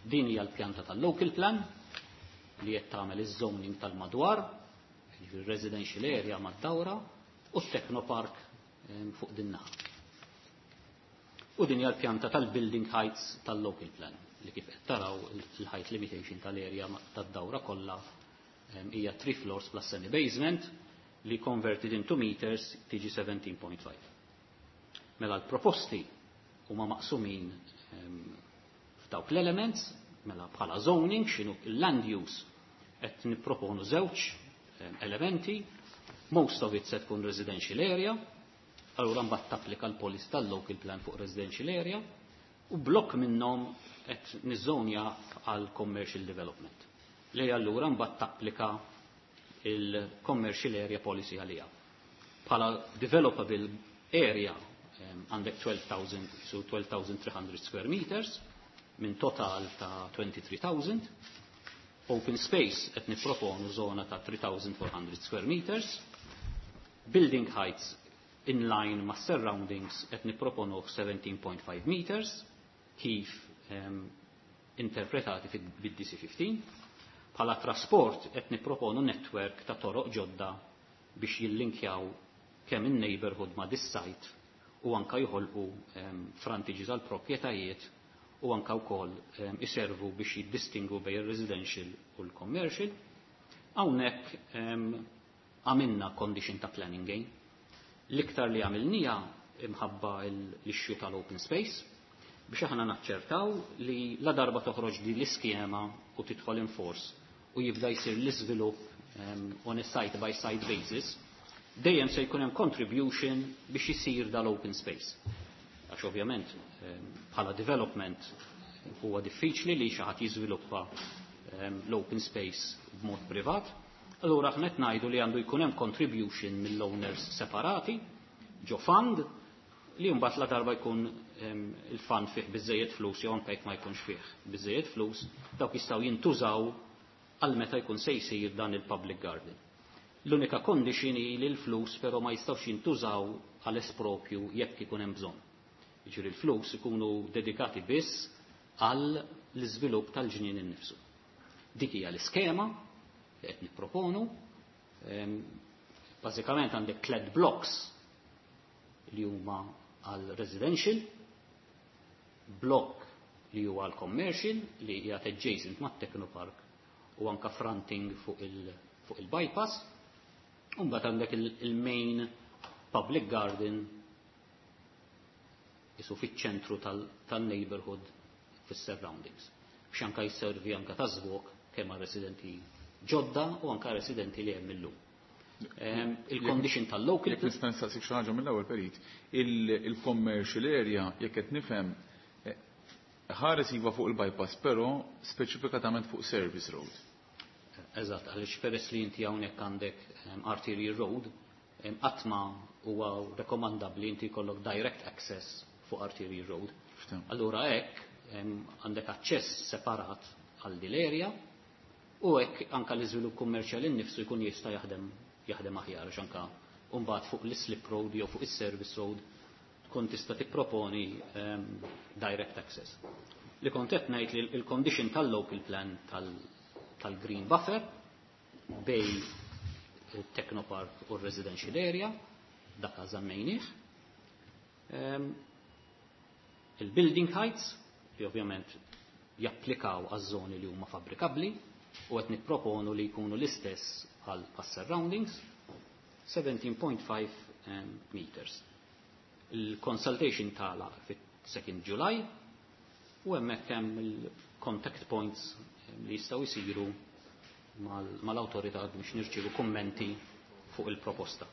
Din hija l-pjanta tal-local plan li qed tagħmel iż-zoning tal-madwar, jiġifieri residential area mad-dawra u t-technopark fuq din naħa. U din hija l-pjanta tal-building heights tal-local plan li kif qed taraw il-height limitation tal-area tad-dawra kollha hija three floors plus semi basement li converted into meters tiġi seventeen point five. Mela l-proposti huma maqsumin f'dawk l-elements, mela bħala zoning, x'inhu l-land use, qed nipproponu żewġ elementi, most of it se tkun residential area, allura mbagħad tapplika l-policy tal-local plan fuq residential area, u blokk minnhom qed niżonja għal commercial development. Li allura mbagħad tapplika il-commercial area policy għalija. Bħala developable area għandek twelve thousand, so twelve thousand three hundred square meters minn total ta' twenty-three thousand. Open space qed nipproponu zona ta' three thousand four hundred square meters. Building heights in line ma' surroundings qed nipproponu seventeen point five meters kif, um, interpretati fid-D C fifteen. Bħala trasport qed nipproponu network ta' toroq ġodda biex jillinkjaw kemm in-neighborhood ma' dis-site u anka joħolqu, um, frontages għal proprjetajiet u anka wkoll, um, iservu biex jiddistingu bejn ir-residential u l-commercial. Hawnhekk, um, għamilna condition ta' planning gain. L-iktar li għamilnija imħabba l-issue tal-open space biex aħna naċċertaw li la darba toħroġ di l-iskema u tidħol in force u jibda jsir l-iżvilupp, um, on a site by site basis, dejjem se jkun hemm contribution biex isir dal-open space. Għax ovvjament, um, bħala development huwa diffiċli li xi ħadd jiżviluppa, um, l-open space b'mod privat. Allura aħna qed ngħidu li għandu jkun hemm contribution mill-owners separati ġo fund li mbagħad la darba jkun, um, il-fund fih biżejjed flus jew anke jekk ma jkunx fih biżejjed flus, dawk jistgħu jintużaw għal meta jkun se jsir dan il-public garden. L-unika condition hi li l-flus però ma jistgħux jintużaw għal espropju jekk ikun hemm bżonn. Jiġifieri l-flus ikunu dedikati biss għal l-iżvilupp tal-ġnien innifsu. Dik hija l-iskema li qed nipproponu. Ehm, bażikament għandek tliet blocks li huma għal residential, blok li huwa għal commercial li hija adjacent mat-Technopark u anka fronting fuq il-, fuq il-bypass, u mbagħad għandek il-, il-main public garden isu fiċ-ċentru tal-, tal-neighborhood fis-surroundings. Biex anka jisservi anka ta' żvok kemm għal residenti ġodda u anka residenti li hemm illum. Ehm, il-condition tal-local Jekk nista' nistaqsik xi ħaġa mill-ewwel Perit, il-, il-commercial area jekk qed nifhem, eh, ħares iva fuq il-bypass, però speċifikatament fuq service road. Eżatt, għaliex peress li inti hawnhekk għandek, ehm, arterial road, ehm, qatt ma huwa rekomandabbli inti jkollok direct access fuq arterial road. Ftem. Allura hekk, ehm, għandek aċċess separat għal din l-area u hekk anka l-iżvilupp kummerċjali nnifsu jkun jista' jaħdem, jaħdem aħjar, għax anka mbagħad fuq l-slip road jew fuq is-service road tkun tista' tipproponi, ehm, direct access. Li kont qed ngħid li l-condition tal-local plan tal-, tal-green buffer bej il-Technopark u r-residential area, dak żammejnieh. Ehm, il-building heights, li ovvjament japplikaw għaż-żoni li huma fabbrikabbli, u qed nipproponu li jkunu l-istess għal surroundings, seventeen point five, ehm, meters. Il-consultation tala fit-second July u hemmhekk hemm il-contact points li jistgħu jsiru mal-, mal-awtorità biex nirċievu kummenti fuq il-proposta.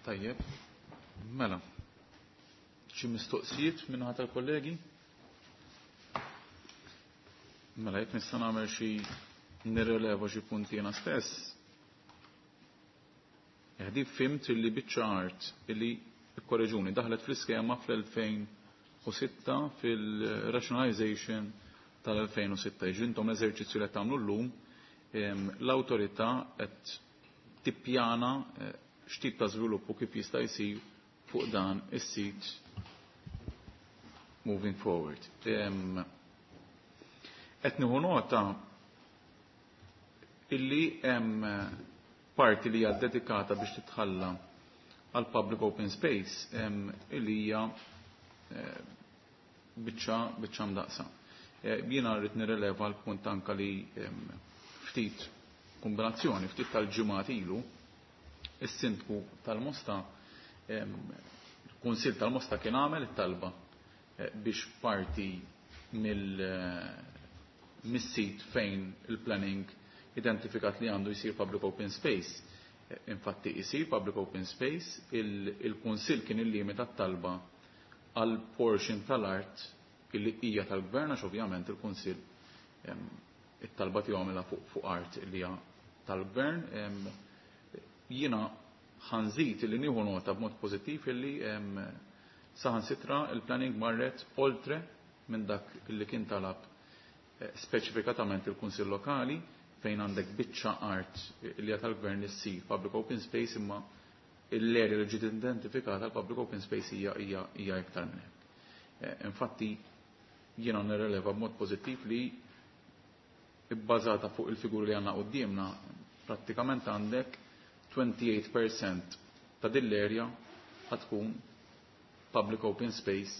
Tajjeb, mela, xi mistoqsijiet minn ħadd tal-kollegi? Mela, jekk nista' nagħmel xi nirreleva xi punti jiena stess. Eħdi fimt illi biċċa art illi ikkoreġuni daħlet fl-iskema fl-elfejn u sitta fil-rationalization tal-elfejn u sitta. Jiġifieri intom l-eżerċizzju li qed tagħmlu llum, em, l-awtorità qed tippjana, eh, x'tip ta' żvilupp u kif jista' jsir fuq dan is-sit moving forward. Qed nieħu nota illi hemm parti li hija dedikata biex titħalla għal public open space illi hija biċċa biċċa mdaqsa. Jiena rrid nirreleva l-punt anka li ftit kombinazzjoni, ftit tal-ġimgħat ilu, is-sindku tal-Mosta, il-Kunsill tal-Mosta kien għamel it-talba biex parti mill-sit fejn il-planning identifikat li għandu jisir public open space. Infatti jisir public open space, il-Kunsill kien il-limita t-talba għal portion tal-art illi hija tal-gvern, għax ovvjament il-Kunsill it-talba tiegħu għamilha fuq art li hija tal-gvern. Jiena ħanżid illi nieħu nota b'mod pożittiv illi saħansitra il-planning marret oltre minn dak illi kien talab speċifikatament il-Kunsill Lokali, fejn għandek biċċa art li hija tal-gvern li ssir public open space, imma l-area li ġiet identifikata l-public open space hija hija hija iktar minn hekk. Infatti jiena nirreleva b'mod pożittiv li bbażata fuq il-figuri li għandna quddiemna prattikament għandek twenty-eight percent ta' din l-area ħatkun public open space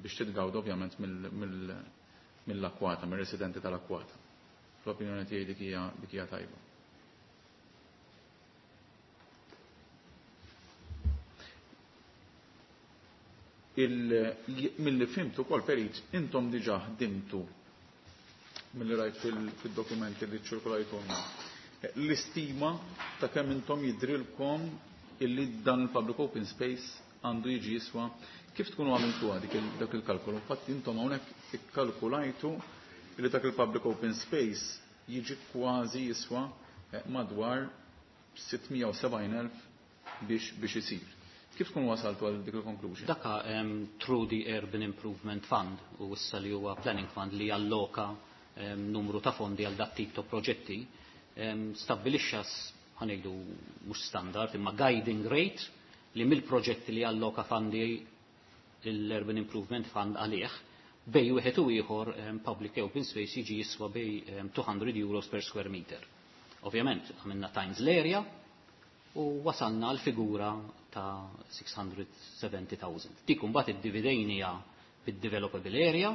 biex titgawda ovvjament mill-akwata, mill-residenti tal-akwata. L-opinjoni tiegħi dik hija dik hija tajba. Mill-li fimtu kol perit, intom diġà ħdimtu mill-li rajt fil-dokumenti li ċirkulajtulna l-istima ta' kemm intom jidrilkom illi dan il-public open space għandu jiġi jiswa. Kif tkunu għamiltu dik dak il-kalkolu? Infatti intom hawnhekk ikkalkulajtu illi dak il-public open space jiġi kważi jiswa madwar sittmija u sebgħin elf biex, biex isir. Kif tkun wasaltu għal dik il-conclusion? Daka um, through the Urban Improvement Fund, u issa li huwa Planning Fund li alloka um, numru ta' fondi għal dat tip ta' proġetti, um, stabbilixxa ħanejdu mhux standard imma guiding rate li mill-proġetti li alloka fondi l-Urban Improvement Fund għalih bej wieħed u ieħor um, public open space jiġi jiswa bej um, two hundred euros per square meter. Ovvjament għamilna times l-area u wasalna l-figura ta' six hundred seventy thousand. Dik imbagħad iddividejnija bid-developable area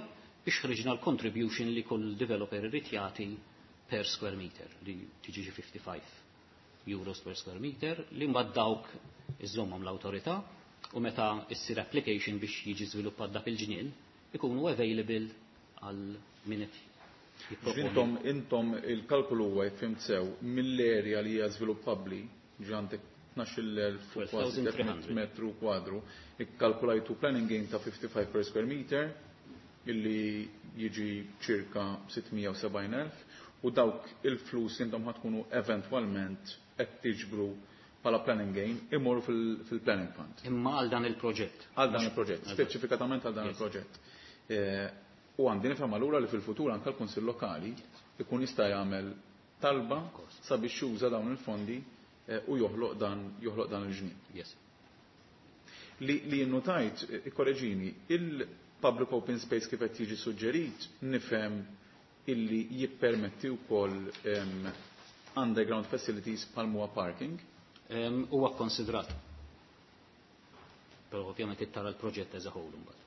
biex ħriġna l-contribution li kull developer irid jagħti per square meter, li tiġi xi fifty-five euros per square meter, li mbagħad dawk iżommhom l-awtorità u meta issir application biex jiġi żviluppat dak il-ġnien ikunu available għal min qed jipproponi. Intom, intom il-kalkulu huwa jekk sew mill-area li hija żviluppabbli, ġi għandek tnax-il elf u kważi Twelve thousand three hundred. metru kwadru, ikkalkulajtu planning gain ta' fifty-five per square meter illi jiġi ċirka sittmija u sebgħin elf, u dawk il-flus intom ħatkunu eventwalment qed tiġbru bħala planning gain imorru fil-planning fund. Imma għal dan il-proġett. Għal dan il-proġett, Eżatt. speċifikatament għal dan Yes. il-proġett. Eh, u għandi nifhem allura li fil-futur anke l-Kunsill Lokali ikun jista' jagħmel talba Of course. sabiex juża dawn il-fondi, eh, u joħloq dan, joħloq dan il-ġnien. Yes. Li, li innotajt, ikkoreġini, il-public open space kif qed jiġi suġġerit nifhem illi jippermetti wkoll, em, underground facilities bħal huwa parking. Em, huwa kkonsidrat. Però ovvjament ittara l-proġett as a whole imbagħad.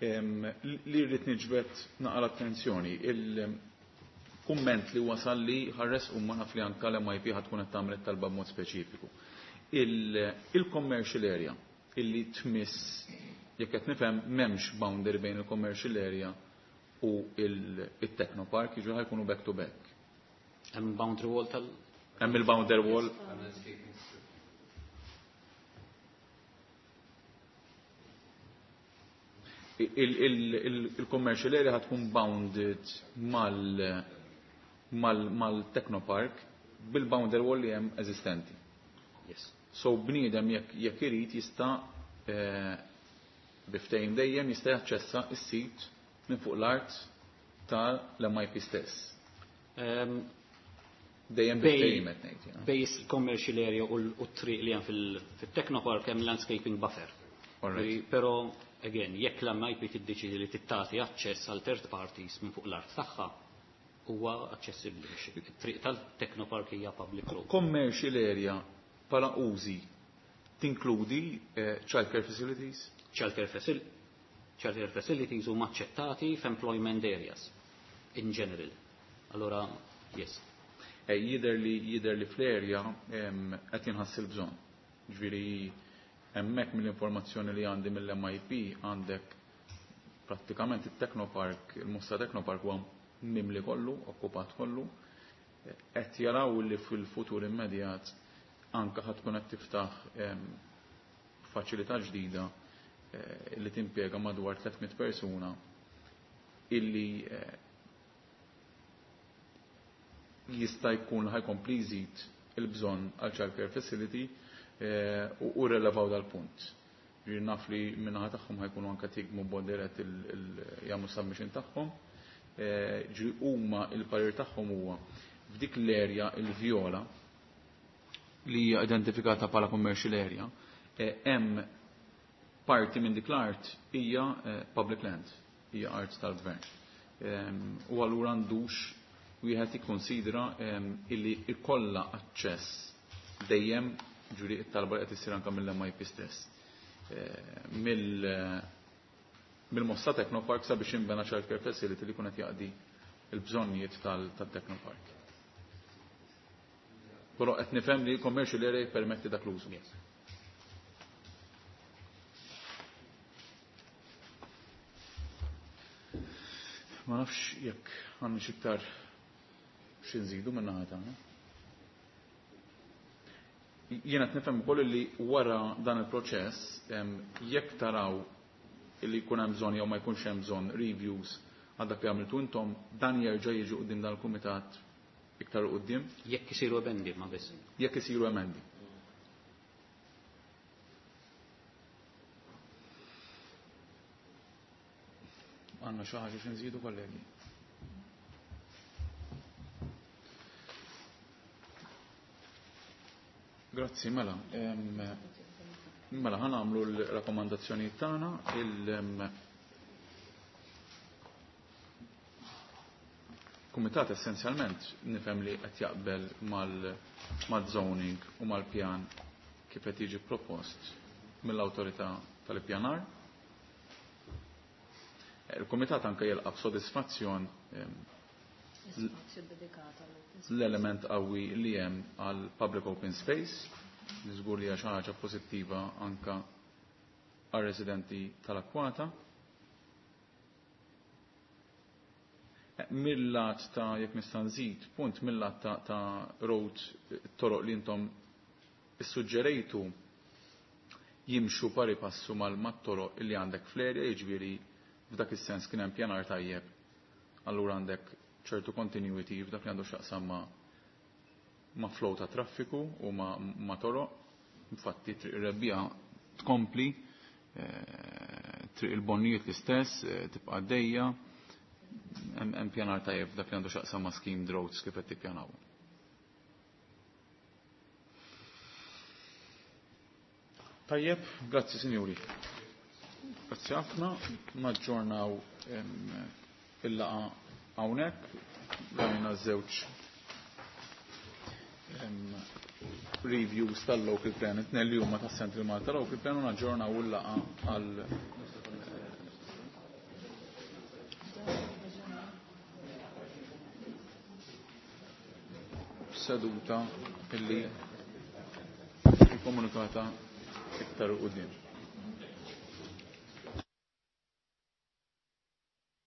Em, li rrid niġbed naqra l-attenzjoni, il-kumment li wasal li ħares u ma naf li anke l-M I P ħad tkun qed tagħmel it-talba b'mod speċifiku. Il-, il-commercial area illi tmiss, jekk qed nifhem m'hemmx boundary bejn il-commercial area u il-, il-technopark, jiġu ħajkunu back to back. Hemm boundary wall tal- Hemm il-boundary wall. Il-, il-, il-, il-commercial area ħatkun bounded mal-, mal-, mal-technopark bil-boundary wall li hemm eżistenti. Yes. So bniedem jekk, jekk irid jista', eh, biftejn dejjem jista' jaċċessa s-sit minn fuq l-art tal-M I P stess. Ehm, Dejjem bil-ftehim qed ngħid. Bej commercial area u t-triq li hemm fil-Technopark hemm landscaping buffer. Però again, jekk l-M I P tiddeċidi li tittati aċċess għal third parties minn fuq l-art tagħha, huwa aċċessibbli. It-triq tal-Technopark hija public road. Commercial area bħala użi tinkludi eh, childcare facilities? Childcare facil childcare facilities huma aċċettati f'employment areas in general. Allora, yes. Eh, jidher li jidher li fl-area qed jinħass il-bżonn. Ġifieri hemmhekk mill-informazzjoni li għandi mill-M I P għandek prattikament it-Technopark, il-Mosta Technopark huwa mimli kollu, okkupat kollu. Qed jaraw li fil-futur immedjat anka ħa tkun qed tiftaħ faċilità ġdida eh, li timpjega madwar tliet mitt persuna illi eh, jista' jkun ħa jkompli jżid il-bżonn għal childcare facility eh, u relevaw dal-punt. Ġifieri naf li min-naħa tagħhom ħa jkunu anke tigmu b'mod dirett jagħmlu submission tagħhom. Eh, ġifieri huma il-parir tagħhom huwa f'dik l-area il-vjola li hija identifikata bħala commercial area, eh, hemm parti minn dik l-art hija public land, hija art tal-gvern. U allura għandux wieħed ikkonsidra illi ikolla aċċess dejjem, ġifieri it-talba qed issir anke mill-M I P stess. Eh, mill mill-Mosta Technopark sabiex jinbena childcare facility li qed jaqdi il-bżonnijiet tal-Technopark. Però qed nifhem li commercial area jippermetti dak l-użu. Ma nafx jekk għandna iktar xi nżidu min-naħa tagħna. Jiena qed nifhem ukoll li wara dan il-proċess, jekk taraw li jkun hemm bżonn jew ma jkunx hemm bżonn reviews għal dak li għamiltu intom, dan jerġa' jiġi quddiem dan il-kumitat iktar quddiem. Jekk isiru emendi ma biss. Jekk isiru emendi. Għandna xi ħaġa xi nżidu, kollegi? Grazzi, mela. Mela, ħa nagħmlu l-rakkomandazzjoni tagħna. Il Kumitat essenzjalment nifhem li qed jaqbel mal-zoning u mal-pjan kif qed jiġi propost mill-awtorità tal-ippjanar. Il-Kumitat anke jilqa' b'sodisfazzjon l-element qawwi li hemm għal public open space, li żgur li hija xi ħaġa pożittiva anka għal residenti tal-akkwata. Mill-lat ta' jekk nista' nżid, punt mill-lat ta', ta road, toroq li intom issuġġerejtu jimxu pari passu mal-mat-toroq li għandek fl-area, jiġifieri f'dak is-sens kien hemm pjanar tajjeb. Allura għandek ċertu continuity f'dak li għandu x'jaqsam ma' ma' flow ta' traffiku u ma', ma toroq. Infatti Triq ir-Rebbija tkompli, eh, Triq il-Bonnijiet l-istess, eh, tibqa' għaddejja. Hemm pjanar tajjeb f'dak li għandu x'jaqsam ma' schemed roads kif qed tippjanaw. Tajjeb, grazzi sinjuri. Grazzi ħafna, naġġornaw il-laqgħa hawnhekk, rajna żewġ reviews tal-local plan, it-tnejn li huma tas-Central Malta Local Plan, u naġġornaw il-laqgħa għal seduta illi komunikata iktar quddiem.